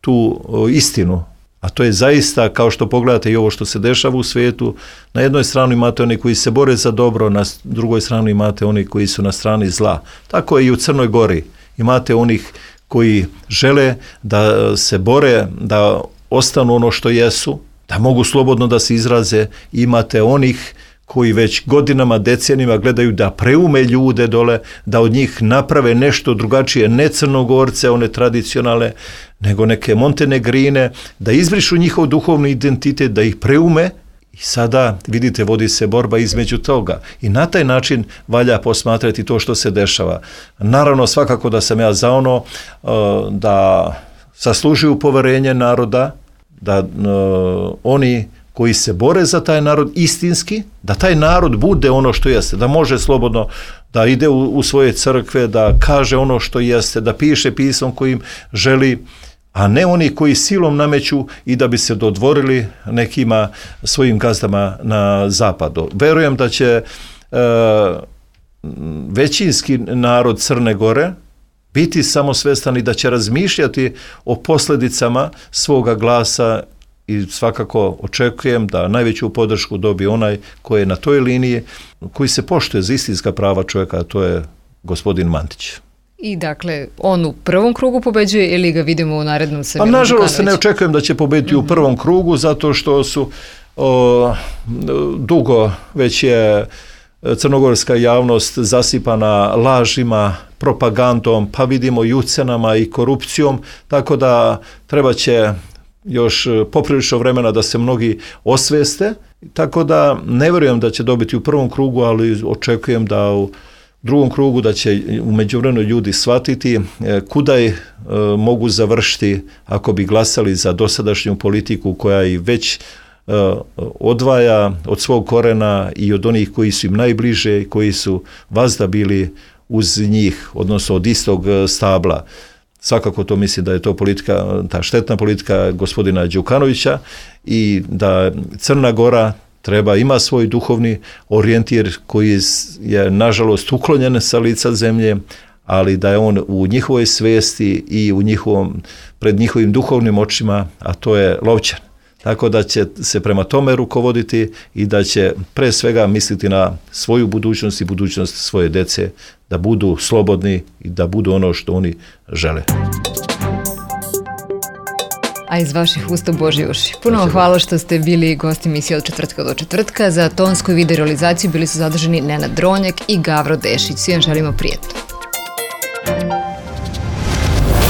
tu istinu. A to je zaista, kao što pogledate i ovo što se dešava u svijetu, na jednoj strani imate oni koji se bore za dobro, na drugoj strani imate oni koji su na strani zla. Tako je i u Crnoj Gori. Imate onih koji žele da se bore, da ostanu ono što jesu, da mogu slobodno da se izraze. Imate onih koji već godinama, decenijama gledaju da preume ljude dole, da od njih naprave nešto drugačije, ne Crnogorce, one tradicionalne, nego neke Montenegrine, da izbrišu njihov duhovni identitet, da ih preume. I sada, vidite, vodi se borba između toga. I na taj način valja posmatrati to što se dešava. Naravno, svakako da sam ja za ono da zaslužuju poverenje naroda, da oni koji se bore za taj narod istinski, da taj narod bude ono što jeste, da može slobodno da ide u svoje crkve, da kaže ono što jeste, da piše pismom kojim želi, a ne oni koji silom nameću i da bi se dodvorili nekima svojim gazdama na zapadu. Verujem da će većinski narod Crne Gore biti samosvestan i da će razmišljati o posljedicama svoga glasa i svakako očekujem da najveću podršku dobije onaj koji je na toj liniji, koji se poštuje za istinska prava čovjeka, a to je gospodin Mandić. I dakle, on u prvom krugu pobeđuje ili ga vidimo u narednom Semir Đukanović? Pa nažalost ne očekujem da će pobediti u prvom krugu, zato što su dugo već je crnogorska javnost zasipana lažima, propagandom, pa vidimo i ucenama i korupcijom, tako da treba će još poprilično vremena da se mnogi osveste, tako da ne vjerujem da će dobiti u prvom krugu, ali očekujem da u drugom krugu da će u međuvremenu ljudi shvatiti kuda mogu završiti ako bi glasali za dosadašnju politiku koja i već odvaja od svog korena i od onih koji su im najbliže i koji su vazda bili uz njih, odnosno od istog stabla. Svakako to mislim da je to politika, ta štetna politika gospodina Đukanovića i da Crna Gora ima svoj duhovni orijentir koji je nažalost uklonjen sa lica zemlje, ali da je on u njihovoj svesti i pred njihovim duhovnim očima, a to je lovčan. Tako da će se prema tome rukovoditi i da će pre svega misliti na svoju budućnost i budućnost svoje dece, da budu slobodni i da budu ono što oni žele. A iz vaših usta Božji uši. Puno vam hvala što ste bili gosti emisije od četvrtka do četvrtka. Za tonsku i video realizaciju bili su zadržani Nenad Dronjak i Gavro Dešić. Svi vam želimo prijetno.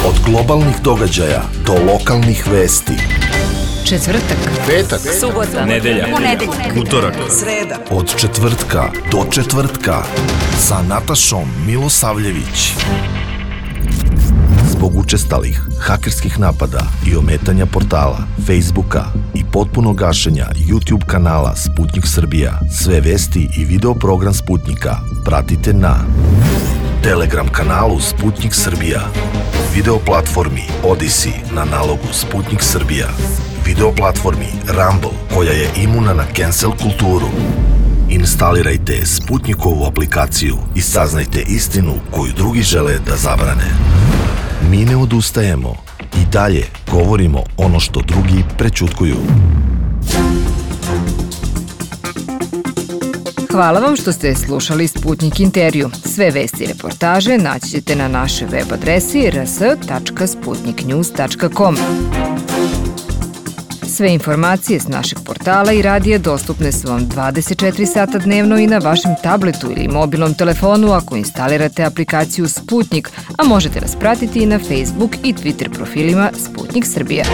Od globalnih događaja do lokalnih vesti. Četvrtak, petak, subota, nedelja, ponedeljak, utorak, sreda. Od četvrtka do četvrtka sa Natašom Milosavljević. Zbog učestalih hakerskih napada i ometanja portala, Facebooka i potpunog gašenja YouTube kanala Sputnik Srbija, sve vesti i video program Sputnika pratite na Telegram kanalu Sputnik Srbija, video platformi Odyssey na nalogu Sputnik Srbija, video platformi Rumble koja je imuna na cancel kulturu. Instalirajte Sputnikovu aplikaciju i saznajte istinu koju drugi žele da zabrane. mi ne odustajemo. I dalje govorimo ono što drugi prećutkuju. Hvala vam što ste slušali Sputnik intervju. Sve vesti i reportaže naći ćete na našoj web adresi rs.sputniknews.com. Sve informacije s našeg portala i radija dostupne su vam 24 sata dnevno i na vašem tabletu ili mobilnom telefonu ako instalirate aplikaciju Sputnik, a možete nas pratiti i na Facebook i Twitter profilima Sputnik Srbija.